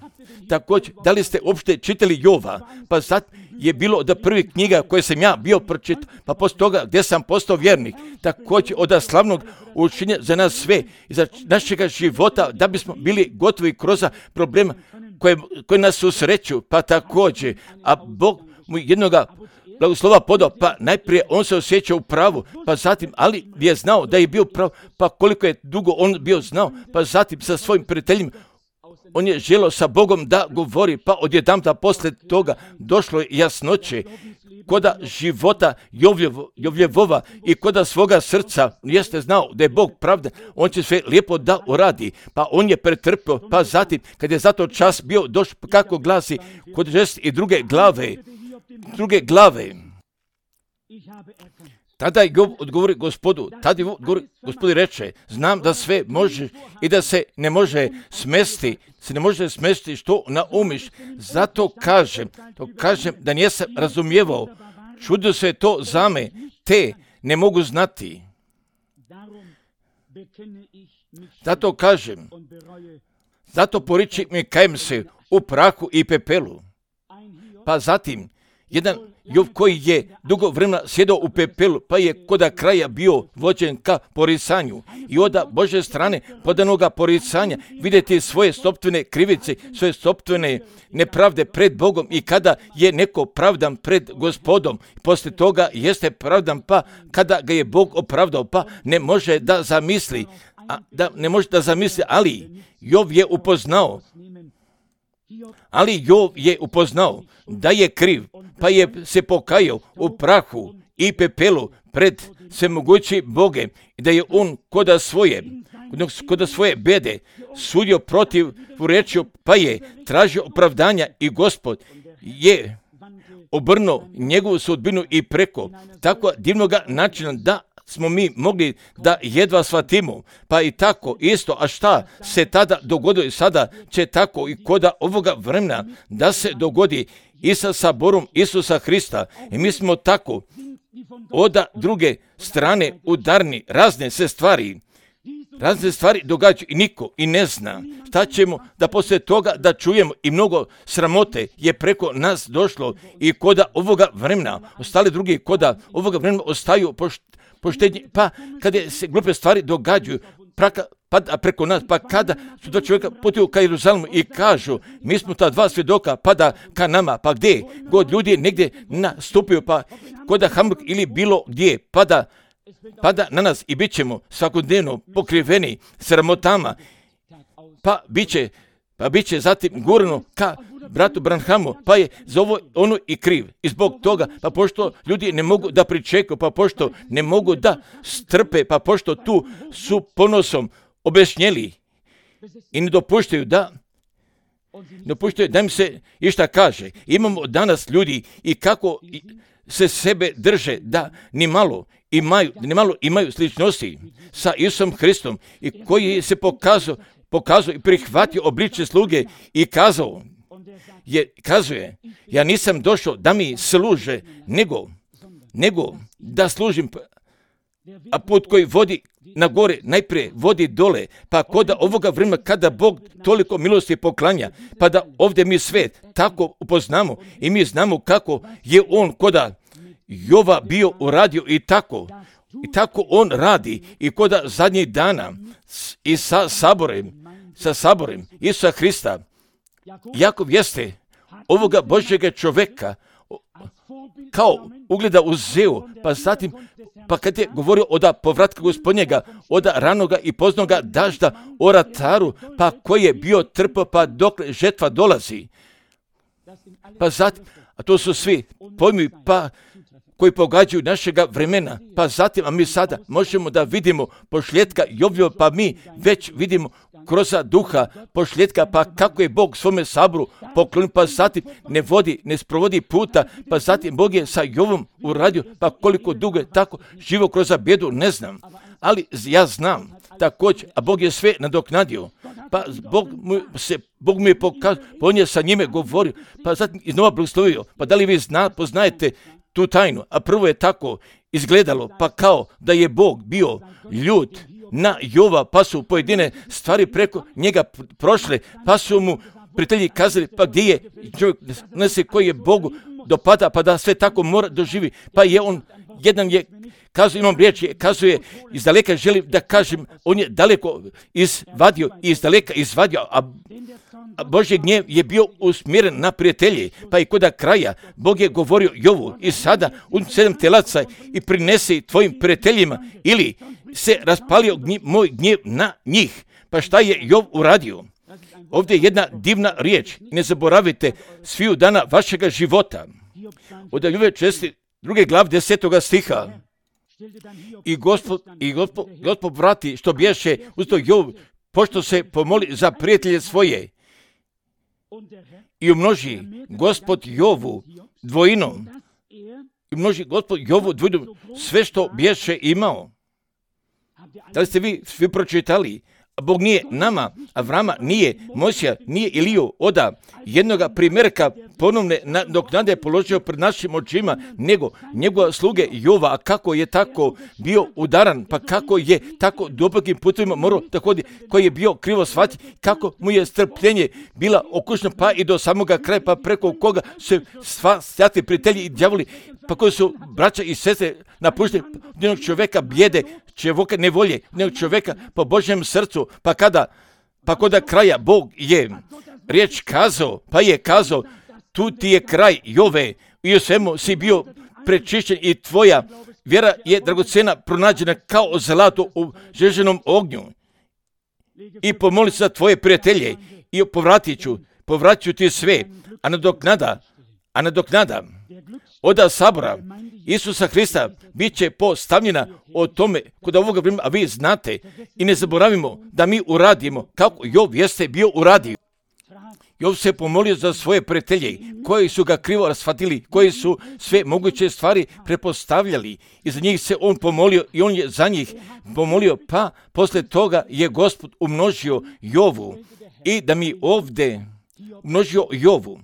A: Također, da li ste uopšte čitali Jova? Pa sad je bilo od prvih knjiga koje sam ja bio pročitao, pa poslije toga gdje sam postao vjernik. Također od slavnog učenja za nas sve i za našega života, da bismo bili gotovi kroz problema koje, koje nas susreću, pa također, a Bog mu jednoga blagoslova podao, pa najprije on se osjeća u pravu, pa zatim, ali je znao da je bio prav, pa koliko je dugo on bio znao, pa zatim sa svojim prijateljima, on je želio sa Bogom da govori, pa odjedanputa posle toga došlo je jasnoće, koda života Jovljevo, Jovljevova i koda svoga srca jeste znao da je Bog pravda, on će sve lijepo da uradi. Pa on je pretrpio, pa zatim kad je zato čas bio došao, kako glasi kod žest i druge glave, druge glave. Tada je odgovori Gospodu, tada je Gospodu reče, znam da sve može i da se ne može smesti, se ne može smesti što naumiš, zato kažem, to kažem da nisam razumijevao, čudio se to za me, te ne mogu znati. Zato kažem, zato poriči mi kajem se u prahu i pepelu. Pa zatim, jedan Jov koji je dugo vremena sjedao u pepelu, pa je koda kraja bio vođen ka poricanju. I od Bože strane podanoga poricanja vidjeti svoje sopstvene krivice, svoje sopstvene nepravde pred Bogom i kada je neko pravdan pred Gospodom, poslije toga jeste pravdan, pa kada ga je Bog opravdao, pa ne može da zamisli, a, da ne može da zamisli, ali Jov je upoznao, ali Jov je upoznao da je kriv, pa je se pokajao u prahu i pepelu pred svemogući Boge i da je on koda svoje, koda svoje bede sudio protiv rečju, pa je tražio opravdanja i Gospod je obrnuo njegovu sudbinu i preko tako divnoga načina da smo mi mogli da jedva shvatimo, pa i tako isto, a šta se tada dogodilo i sada će tako i koda ovoga vremena da se dogodi i sa saborom Isusa Hrista. I mi smo tako od druge strane udarni, razne se stvari, razne stvari događaju i niko i ne zna. Šta ćemo da poslije toga da čujemo i mnogo sramote je preko nas došlo i koda ovoga vremena, ostali drugi koda ovoga vremena ostaju pošt, poštenje, pa kada se glupe stvari događaju, praka, pada preko nas, pa kada su do čovjeka putuju ka Jeruzalemu i kažu, mi smo ta dva svjedoka, pada ka nama, pa gdje? God ljudi negdje nastupio, pa koda Hamburg ili bilo gdje, pada, pada na nas i bit ćemo svakodnevno pokriveni sramotama, pa bit će, pa bit će zatim gurno ka bratu Branhamu, pa je za ovo ono i kriv. I zbog toga, pa pošto ljudi ne mogu da pričekaju, pa pošto ne mogu da strpe, pa pošto tu su ponosom objašnjeli i ne dopuštaju da dopuštaju da im se išta kaže. Imamo danas ljudi i kako se sebe drže da ni malo imaju, ni malo imaju sličnosti sa Isusom Hristom i koji se pokazao, pokazao i prihvatio obličje sluge i kazao, je, kazuje, ja nisam došao da mi služe, nego, nego da služim, a put koji vodi na gore, najprije vodi dole, pa koda ovoga vremena kada Bog toliko milosti poklanja, pa da ovdje mi sve tako upoznamo i mi znamo kako je on koda Jova bio uradio i tako, i tako on radi i koda zadnjih dana i sa saborem, sa saborem Isusa Hrista, Jakov jeste ovoga Božjega čoveka kao ugleda uzeo, pa zatim, pa kad je govorio od povratka Gospodnjega, od ranoga i poznoga dažda o rataru, pa koji je bio trpio, pa dok žetva dolazi. Pa zatim, a to su svi pojmi, pa koji pogađaju našega vremena, pa zatim, a mi sada možemo da vidimo pošljetka Jovljeva, pa mi već vidimo kroz duha pošljetka, pa kako je Bog svome saboru poklonio, pa zatim ne vodi, ne sprovodi puta, pa zatim Bog je sa Jovom uradio, pa koliko dugo je tako živo kroz bjedu, ne znam, ali ja znam također, a Bog je sve nadoknadio, pa Bog mu, se, Bog mu je pokazao, pa on je sa njime govorio, pa zatim iznova blagoslovio, pa da li vi zna, poznajete tu tajnu, a prvo je tako izgledalo, pa kao da je Bog bio ljut na Jova, pa su pojedine stvari preko njega prošle, pa su mu prijatelji kazali, pa gdje je čovjek nese koji je Bogu dopada, pa da sve tako mora doživi, pa je on, jedan je kazao, imam riječ, kazuje, iz daleka želim da kažem, on je daleko izvadio, iz daleka izvadio, a, a Božji gnjev je bio usmjeren na prijatelje, pa i koda kraja Bog je govorio Jovu, i sada un sedam telaca i prinesi tvojim prijateljima, ili se raspalio gnjev, moj gnjev na njih. Pa šta je Jov uradio? Ovdje je jedna divna riječ. Ne zaboravite sviju dana vašega života. Od Jove česti druge glav desetoga stiha. I gospod, i gospod, gospod vrati što bješe uz to Jov, pošto se pomoli za prijatelje svoje. I umnoži gospod Jovu dvojinom. I umnoži gospod Jovu dvojinom sve što bješe imao. Da li ste vi svi pročitali? Bog nije nama, Avrama nije, Mojsija nije Iliju oda jednoga primjerka ponovne nadoknade položio pred našim očima, nego njegova sluge Jova, a kako je tako bio udaran, pa kako je tako dubokim putovima morao da hodi, koji je bio krivo shvaćen, kako mu je strpljenje bila okušno pa i do samoga kraja, pa preko koga su sva svjati prijatelji i djavoli, pa koji su braća i sestre napušteni jednog čovjeka bijede, čovjeka nevolje, jednog čovjeka po Božjem srcu, pa kada, pa kada kraja Bog je riječ kazao, pa je kazao, tu ti je kraj Jove, i u svemu si bio prečišćen i tvoja vjera je dragocena, pronađena kao zlato u žeženom ognju. I pomoli se za tvoje prijatelje i povratit ću, povratit ću ti sve, a nadoknada, a nadoknada oda sabora Isusa Hrista bit će postavljena o tome kod ovoga vremena, a vi znate i ne zaboravimo da mi uradimo kako Jov jeste bio uradio. Jov se pomolio za svoje prijatelje koji su ga krivo shvatili, koji su sve moguće stvari prepostavljali i za njih se on pomolio i on je za njih pomolio, pa poslije toga je Gospod umnožio Jovu i da mi ovdje umnožio Jovu.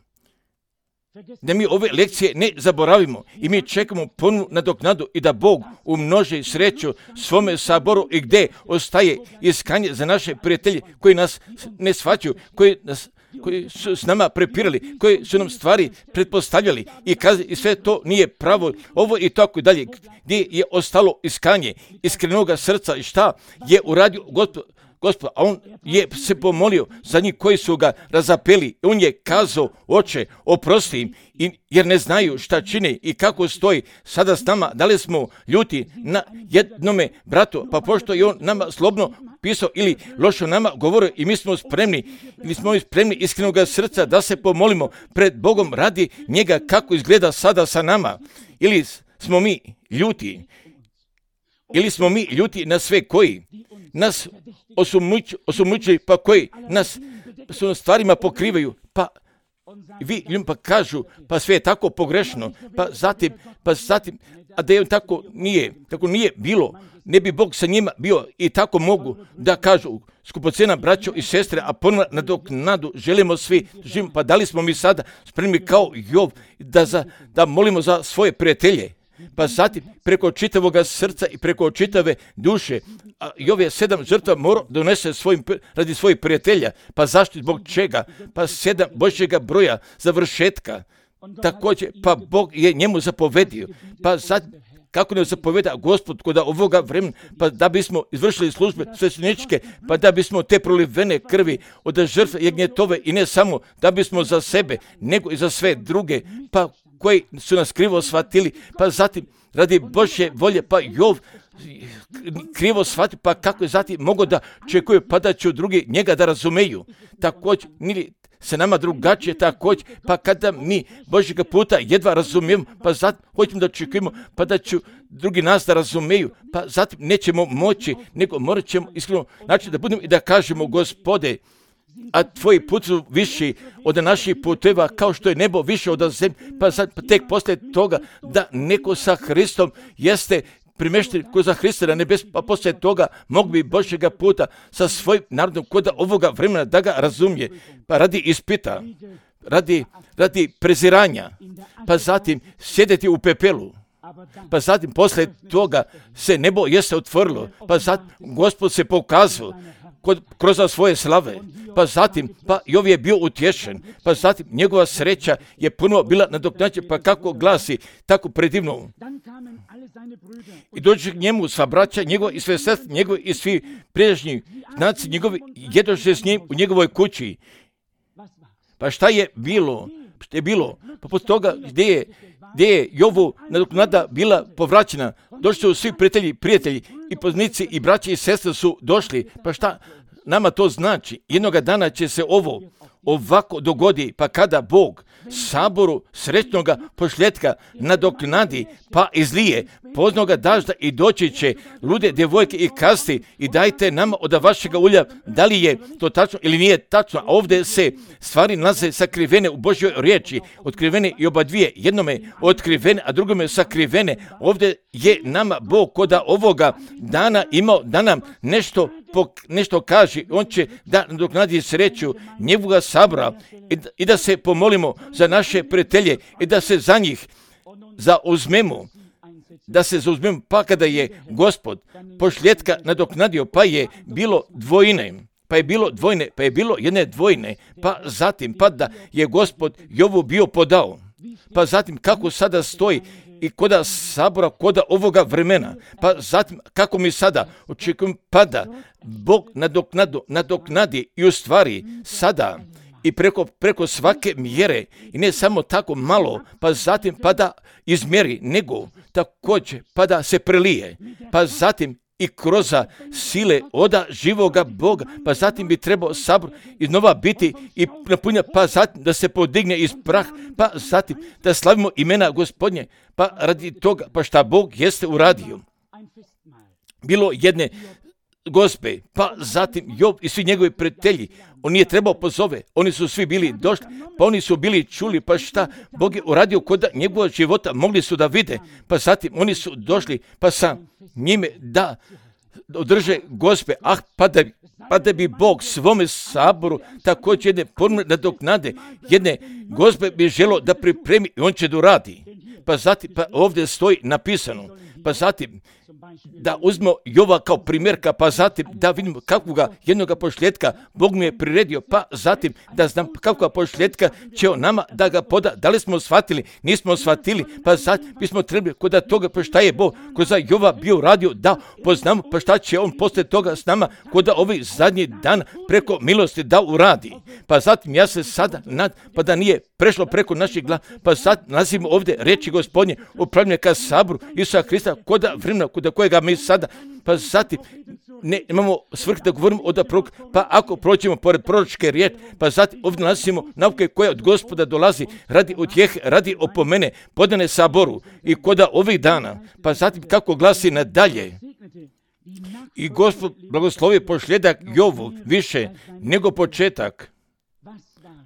A: Da mi ove lekcije ne zaboravimo i mi čekamo punu nadoknadu i da Bog umnoži sreću svome saboru i gdje ostaje iskanje za naše prijatelje koji nas ne shvaćaju, koji, nas, koji su s nama prepirali, koji su nam stvari pretpostavljali i kazi i sve to nije pravo, ovo i tako i dalje, gdje je ostalo iskanje iskrenoga srca i šta je uradio Gospod. Gospod, a on je se pomolio za njih koji su ga razapeli. On je kazao, oče, oprosti im, jer ne znaju šta čine i kako stoji sada s nama. Da li smo ljuti na jednome bratu, pa pošto je on nama slobno pisao ili lošo nama govorio i mi smo spremni, ili smo spremni iskrenog srca da se pomolimo pred Bogom radi njega kako izgleda sada sa nama. Ili smo mi ljuti, ili smo mi ljuti na sve koji nas osumnjičuju, pa koji nas su stvarima pokrivaju, pa vi ljudima pa kažu, pa sve je tako pogrešno, pa zatim, pa zatim, a da je tako nije, tako nije bilo, ne bi Bog sa njima bio i tako mogu da kažu, skupocena braćo i sestre, a ponovno nadoknadu želimo svi živimo, pa da li smo mi sada spremni kao Jov da, za, da molimo za svoje prijatelje? Pa zatim preko čitavoga srca i preko čitave duše, a Jov je sedam žrtva morao donese svojim, radi svojih prijatelja. Pa zašto, zbog čega? Pa sedam Božjega broja završetka. Također, pa Bog je njemu zapovedio. Pa zatim, kako ne zapoveda Gospod kod ovoga vremena, pa da bismo izvršili službe svećeničke, pa da bismo te prolivene krvi od žrtve jagnjetove i ne samo da bismo za sebe, nego i za sve druge, pa koji su nas krivo shvatili, pa zatim radi Božje volje, pa Jov krivo shvatio, pa kako je zatim mogao da čekuju, pa da će drugi njega da razumeju. Također, nili se nama drugačije također, pa kada mi Božjega puta jedva razumijemo, pa zatim hoćemo da čekujemo, pa da će drugi nas da razumeju, pa zatim nećemo moći, nego morat ćemo iskreno znači da budemo i da kažemo, Gospode, a tvoji put su viši od naših puteva, kao što je nebo više od zemlje, pa sad pa tek poslije toga da neko sa Hristom jeste primešten ko za Hrista na nebes, pa poslije toga mogu bi Božjega puta sa svojim narodom kod ovoga vremena da ga razumije, pa radi ispita, radi, radi preziranja, pa zatim sjedeti u pepelu, pa zatim poslije toga se nebo jeste otvorilo, pa zatim Gospod se pokazao kod, kroz svoje slave, pa zatim, pa Jov je bio utješen, pa zatim njegova sreća je puno bila nadoknađena, pa kako glasi, tako predivno. I dođe k njemu sva braća njegova i sve sestre njegove i svi priješnji znaci njegovi jedoše s njim u njegovoj kući. Pa šta je bilo? Šta je bilo? Pa poslije toga gdje je, gdje je Jovu nadoknada bila povraćena, došli su svi prijatelji, prijatelji i poznanici i braći i sestre su došli. Pa šta nama to znači? Jednoga dana će se ovo, ovako dogodi, pa kada Bog saboru srećnoga pošljetka nadoknadi, pa izlije poznoga dažda i doći će lude djevojke i kasti i dajte nama od vašega ulja. Da li je to tačno ili nije tačno? A ovdje se stvari nalaze sakrivene u Božjoj riječi, otkrivene i oba dvije, jednome otkrivene, a drugome sakrivene. Ovdje je nama Bog koda ovoga dana imao da nam nešto nešto kaže. On će da nadoknadi sreću njegovoga sabora i da, i da se pomolimo za naše prijatelje i da se za njih zauzmemo, da se zauzmemo, pa kada je Gospod pošljetka nadoknadio, pa je bilo dvojine, pa je bilo dvojne, pa je bilo jedne dvojne, pa zatim, pa da je Gospod Jovu bio podao, pa zatim kako sada stoji i koda sabora, koda ovoga vremena, pa zatim kako mi sada očekujem, pada Bog nadoknadu, nadoknadi i u stvari sada i preko, preko svake mjere i ne samo tako malo, pa zatim pa da izmjeri, nego također pa da se prelije, pa zatim i kroz sile oda živoga Boga, pa zatim bi trebao sabor iznova biti i napunja, pa zatim da se podigne iz prah, pa zatim da slavimo imena Gospodnje, pa radi toga, pa šta Bog jeste uradio. Bilo jedne gospe, pa zatim Job i svi njegovi prijatelji, on nije trebao pozove, oni su svi bili došli, pa oni su bili čuli, pa šta Bog je uradio kod njegovog života, mogli su da vide, pa zatim oni su došli, pa sa njime da održe gospe, ah, pa da, pa da bi Bog svome saboru također jedne forme nadoknade, jedne gospe bi želo da pripremi i on će da uradi. Pa zatim, pa ovdje stoji napisano, pa zatim da uzmemo Jova kao primjerka, pa zatim da vidimo kakvoga jednoga pošljetka Bog mi je priredio, pa zatim da znam kakvoga pošljetka će on nama da ga poda. Da li smo shvatili? Nismo shvatili, pa zatim bismo trebali kod toga, pa šta je Bog kroz Jova bio radio, da poznamo, pa šta će on poslije toga s nama kod ovih zadnjih dana preko milosti da uradi. Pa zatim ja se sada nad, pa da nije prešlo preko naših glava, pa sad nazivimo ovdje reči Gospodnje upravljanje ka saboru Isusa Hrista kod vremena kod kojega mi sada, pa zatim ne imamo svrh da govorimo od prorok, pa ako prođemo pored proročke riječi, pa zatim ovdje nalazimo nauke koje od Gospoda dolazi radi utjehe, radi opomene, podane saboru i koda ovih dana, pa zatim kako glasi nadalje. I Gospod blagoslovi pošljedak Jovu više nego početak.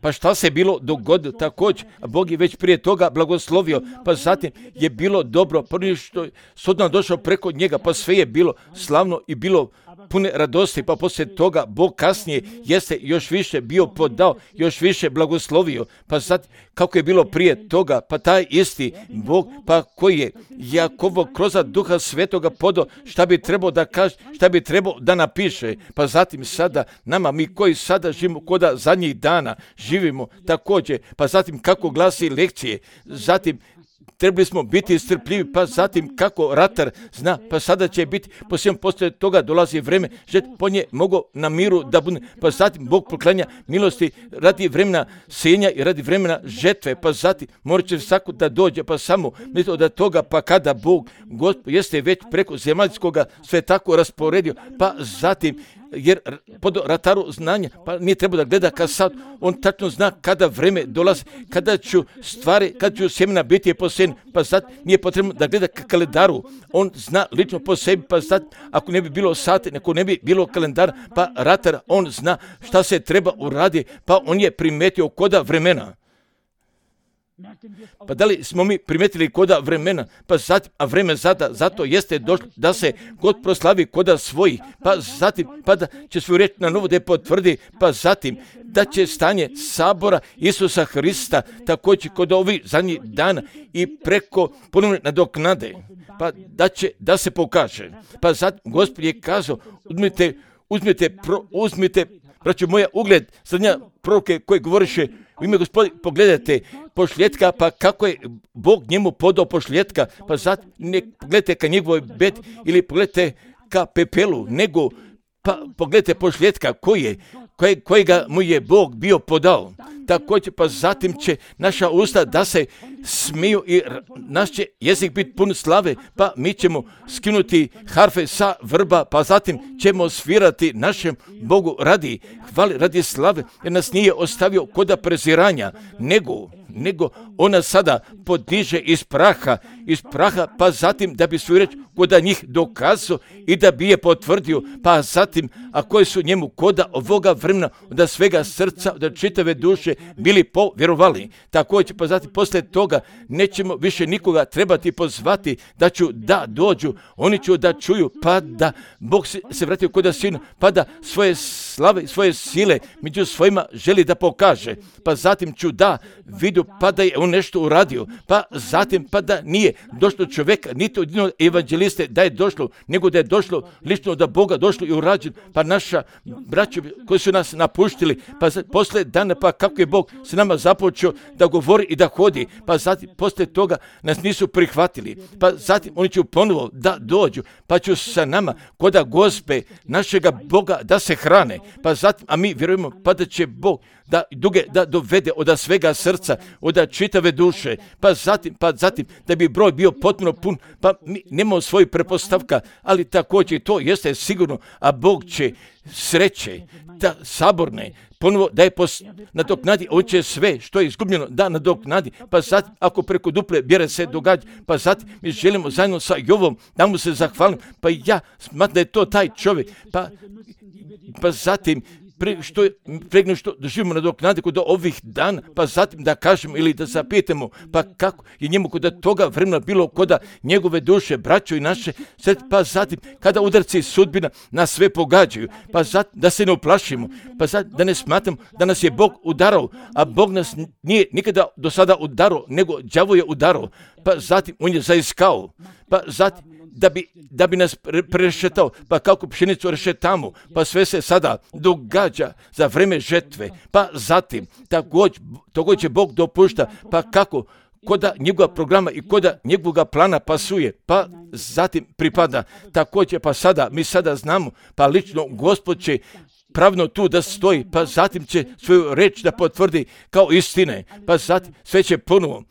A: Pa šta se bilo dogodilo također, a Bog je već prije toga blagoslovio, pa zatim je bilo dobro, prvi što je sudno došao preko njega, pa sve je bilo slavno i bilo pune radosti, pa poslije toga Bog kasnije jeste još više bio podao, još više blagoslovio, pa sad kako je bilo prije toga, pa taj isti Bog, pa koji je Jakovo kroz Duha Svetoga podao, šta bi trebao da kaže, šta bi trebao da napiše, pa zatim sada nama, mi koji sada živimo koda zadnjih dana, živimo također, pa zatim kako glasi lekcije, zatim trebali smo biti strpljivi, pa zatim kako ratar zna, pa sada će biti, posljedno poslije toga dolazi vreme, žet po nje mogu na miru da bude, pa zatim Bog proklanja milosti radi vremena senja i radi vremena žetve, pa zatim morat će svako da dođe, pa samo mislite da toga, pa kada Bog, Gospod, jeste već preko zemaljskoga sve tako rasporedio, pa zatim jer pod rataru znanja, pa nije treba da gleda kad sad, on tačno zna kada vreme dolazi, kada ću stvari, kada ću sjemena biti posejene, pa sad nije potrebno da gleda ka kalendaru, on zna lično po sebi, pa sad ako ne bi bilo sate, ako ne bi bilo kalendara, pa ratar, on zna šta se treba uraditi, pa on je primetio koda vremena. Pa da li smo mi primetili koda vremena, pa zatim, a vreme zada, zato jeste došlo da se God proslavi koda svojih, pa zatim, pa da će svoju reč na novo da je potvrdi, pa zatim da će stanje sabora Isusa Hrista također kod ovih zadnjih dana i preko ponovne nadoknade, pa da će da se pokaže. Pa zatim Gospod je kazao, uzmite, uzmite, pro, uzmite, braćo moja, ugled srednja proroke koje govoriše u ime Gospodi, pogledajte pošljetka, pa kako je Bog njemu podao pošljetka, pa sad ne pogledajte ka njegovoj bed ili pogledajte ka pepelu, nego pa pogledajte pošljetka koji je, koje, kojega mu je Bog bio podao. također pa zatim će naša usta da se smiju i naš će jezik biti pun slave, pa mi ćemo skinuti harfe sa vrba, pa zatim ćemo svirati našem Bogu radi hvale, radi slave, jer nas nije ostavio koda preziranja, nego nego ona sada podiže iz praha, iz praha, pa zatim da bi svoju reč koda njih dokazao i da bi je potvrdio, pa zatim, a koji su njemu koda ovoga vremena, da svega srca, da čitave duše bili povjerovali. Također, pa zatim, poslije toga nećemo više nikoga trebati pozvati da ću da dođu, oni ću da čuju, pa da Bog se, se vratio koda sinu, pa da svoje slave, svoje sile među svojima želi da pokaže, pa zatim ću da vidu, pa da je on nešto uradio, pa zatim pa da nije došlo čovjeka, niti od jednog evanđeliste da je došlo, nego da je došlo lično da Boga došlo i urađen, pa naša braća koji su nas napuštili, pa posle dana, pa kako je Bog s nama započeo da govori i da hodi, pa zatim posle toga nas nisu prihvatili, pa zatim oni će ponovo da dođu, pa će sa nama koda Gospe našega Boga da se hrane, pa zatim, a mi vjerujemo pa da će Bog da duge da dovede od svega srca, od čitave duše, pa zatim, pa zatim da bi broj bio potpuno pun, pa mi nemamo svoju prepostavka, ali također to jeste sigurno, a Bog će sreće, da saborne, ponovo da je pos, nadoknadi, on će sve što je izgubljeno da nadoknadi, pa zatim ako preko duple bjere se događa, pa zatim mi želimo zajedno sa Jovom da mu se zahvalim, pa ja smatram da je to taj čovjek, pa, pa zatim Pre, što je, pregno što doživimo nadoknade kod ovih dana, pa zatim da kažemo ili da zapitamo, pa kako je njemu kod toga vremena bilo kod njegove duše, braćo i naše, pa zatim kada udarci sudbina nas sve pogađaju, pa zatim da se ne uplašimo, pa zatim da ne smatramo da nas je Bog udarao, a Bog nas nije nikada do sada udarao, nego đavo je udarao, pa zatim on je zaiskao, pa zatim da bi, da bi nas prešetao, pa kako pšenicu rešetamo, pa sve se sada događa za vreme žetve, pa zatim također, također Bog dopušta, pa kako koda njegova programa i koda njegovog plana pasuje, pa zatim pripada također, pa sada, mi sada znamo, pa lično Gospod će pravno tu da stoji, pa zatim će svoju reč da potvrdi kao istine, pa zatim sve će ponovo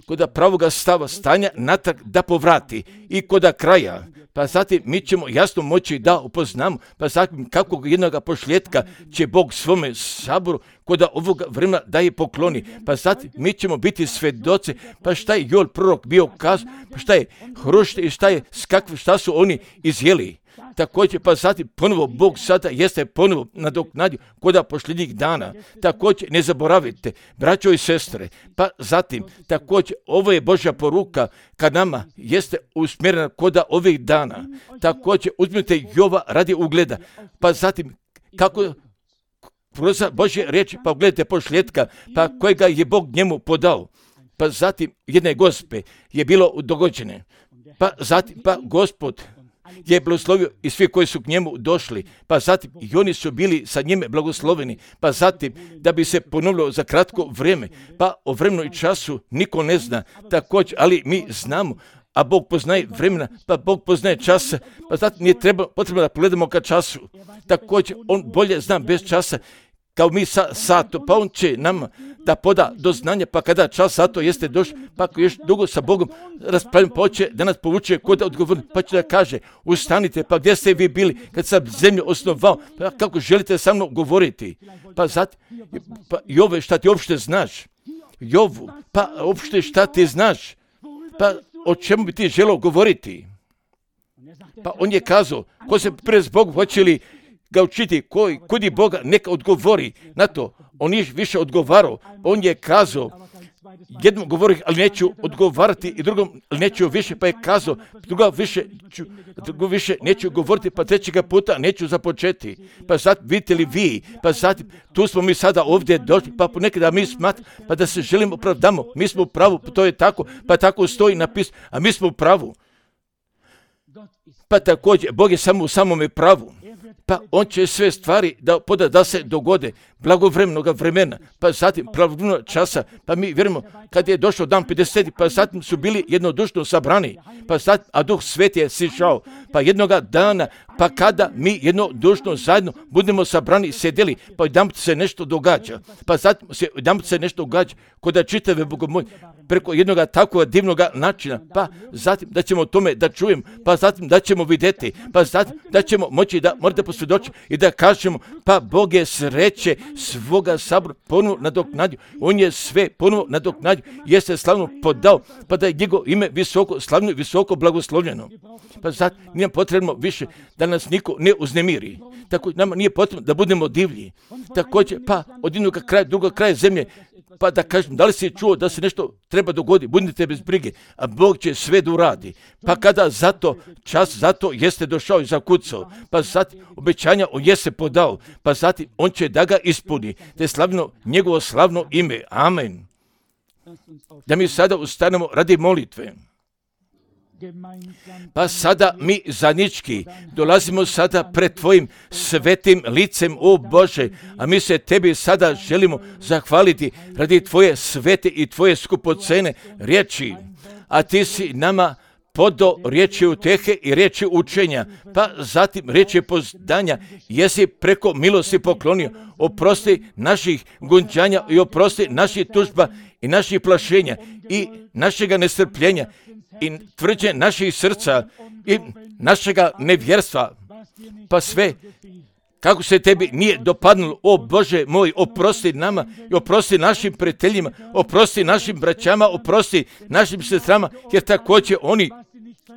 A: koda pravoga stava stanja natrag da povrati i koda kraja, pa zatim mi ćemo jasno moći da upoznamo, pa zatim kakvog jednog pošljetka će Bog svome saboru koda ovoga vremena da je pokloni, pa zatim mi ćemo biti svedoci, pa šta je Joel prorok bio kazao, pa šta je hrušte i šta je skakve, šta su oni izjeli. Također, pa zatim ponovo Bog sada jeste ponovo nadoknadio koda posljednjih dana. Također, ne zaboravite, braćo i sestre, pa zatim, također, ovo je Božja poruka kad nama jeste usmjerena koda ovih dana. Također, uzmite Jova radi ugleda, pa zatim, kako kroz Božje riječi, pa ugledajte pošljetka, pa kojega je Bog njemu podao. Pa zatim, jedne Gospe je bilo dogođene, pa zatim, pa Gospod je blagoslovio i svi koji su k njemu došli, pa zatim i oni su bili sa njime blagosloveni, pa zatim da bi se ponovilo za kratko vrijeme, pa o vremenu i času niko ne zna, također, ali mi znamo, a Bog poznaje vremena, pa Bog poznaje časa, pa zatim nije treba, potrebno da pogledamo ka času, također on bolje zna bez časa, kao mi sa sato, pa on će nam da poda do znanja, pa kada čas sato jeste došao, pa ako još dugo sa Bogom raspravljamo, pa hoće da nas povuče kod odgovorni, pa će da kaže, ustanite, pa gdje ste vi bili kad sam zemlju osnovao, pa kako želite sa mnom govoriti, pa zatim, pa Jove, šta ti uopšte znaš, Jovu, pa uopšte šta ti znaš, pa o čemu bi ti želeo govoriti, pa on je kazao, ko se pre zbog hoće li ga učiti, koji, kudi Boga, neka odgovori na to. On je više odgovarao, on je kazao, jednom govori, ali neću odgovarati, i drugom neću više, pa je kazao, drugom više, ću, drugom više neću govoriti, pa trećega puta neću započeti. Pa zatim, vidite li vi, pa zatim, tu smo mi sada ovdje došli, pa ponekada mi smatramo, pa da se želimo opravdamo, mi smo u pravu, pa to je tako, pa tako stoji napis, a mi smo u pravu. Pa također, Bog je samo u samome pravu. pa on će sve stvari da poda da se dogode blagovremenoga vremena, pa zatim pravovremenog časa, pa mi vjerujemo kad je došao dan pedeset, pa zatim su bili jednodušno sabrani, pa zatim, a Duh Sveti je sišao, pa jednoga dana, pa kada mi jednodušno zajedno budemo sabrani, sedeli, pa jedanput se nešto događa, pa zatim se jedanput se nešto događa, kod da čitave Bogomolje, preko jednoga takvog divnog načina, pa zatim da ćemo o tome da čujemo, pa zatim da ćemo vidjeti, pa zatim da ćemo moći da morate posvjedočiti i da kažemo, pa Bog je sreće svoga sabora ponovo nadoknadio, on je sve ponovo nadoknadio, je se slavno podao, pa da je njegovo ime visoko slavno i visoko blagoslovljeno. Pa zatim nije potrebno više da nas niko ne uznemiri, tako nama nije potrebno da budemo divlji, također pa od jednog kraja, drugog kraja zemlje, pa da kažem, da li si čuo da se nešto treba dogoditi, budite bez brige, a Bog će sve da uradi. Pa kada zato čas, zato jeste došao i zakucao, pa zatim obećanja on je se podao, pa zatim on će da ga ispuni, te slavno njegovo slavno ime. Amen. Da mi sada ustanemo radi molitve. Pa sada mi zajednički dolazimo sada pred tvojim svetim licem, o Bože, a mi se tebi sada želimo zahvaliti radi tvoje svete i tvoje skupocene riječi, a ti si nama podao riječi utehe i riječi učenja, pa zatim riječi poznanja, jesi preko milosti poklonio, oprosti naših gunđanja i oprosti naših tužba i naših plašenja i našega nestrpljenja i tvrđe naših srca i našega nevjerstva, pa sve kako se tebi nije dopadnulo, o Bože moj, oprosti nama i oprosti našim prijateljima, oprosti našim braćama, oprosti našim sestrama, jer također oni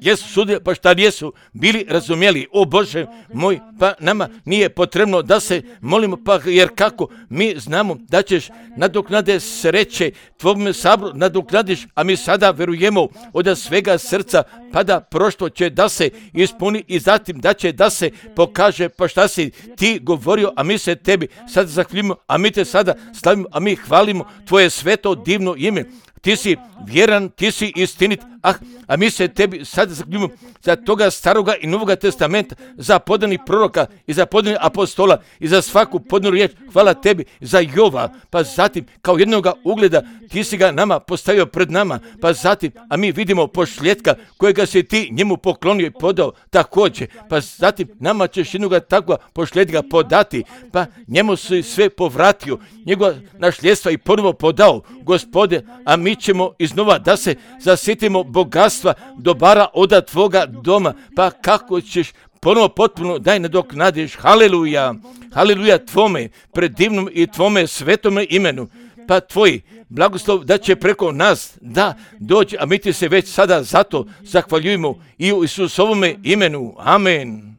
A: jesu sudili, pa šta nijesu bili razumjeli, o Bože moj, pa nama nije potrebno da se molimo, pa jer kako mi znamo da ćeš nadoknade sreće tvojom sabru nadoknadiš, a mi sada verujemo od svega srca, pa da prošlo će da se ispuni i zatim da će da se pokaže, pa šta si ti govorio, a mi se tebi sada zahvaljujemo, a mi te sada slavimo, a mi hvalimo tvoje sveto divno ime. Ti si vjeran, ti si istinit, ah, a mi se tebi sad zahvaljujemo za toga staroga i novoga testamenta, za podanih proroka i za podanih apostola i za svaku podanu riječ. Hvala tebi za Jova, pa zatim kao jednoga ugleda ti si ga nama postavio pred nama, pa zatim, a mi vidimo pošljetka kojega si ti njemu poklonio i podao također, pa zatim nama ćeš jednoga takva pošljetka podati, pa njemu si sve povratio, njegova našljedstva i ponovo podao, Gospode, a mi ćemo iznova da se zasjetimo bogatstva dobara od tvoga doma, pa kako ćeš ponovo potpuno daj nadoknadiš, haleluja, haleluja tvome predivnom i tvome svetome imenu, pa tvoj blagoslov da će preko nas da dođe, a mi ti se već sada zato zahvaljujemo i u Isusovome imenu, amen.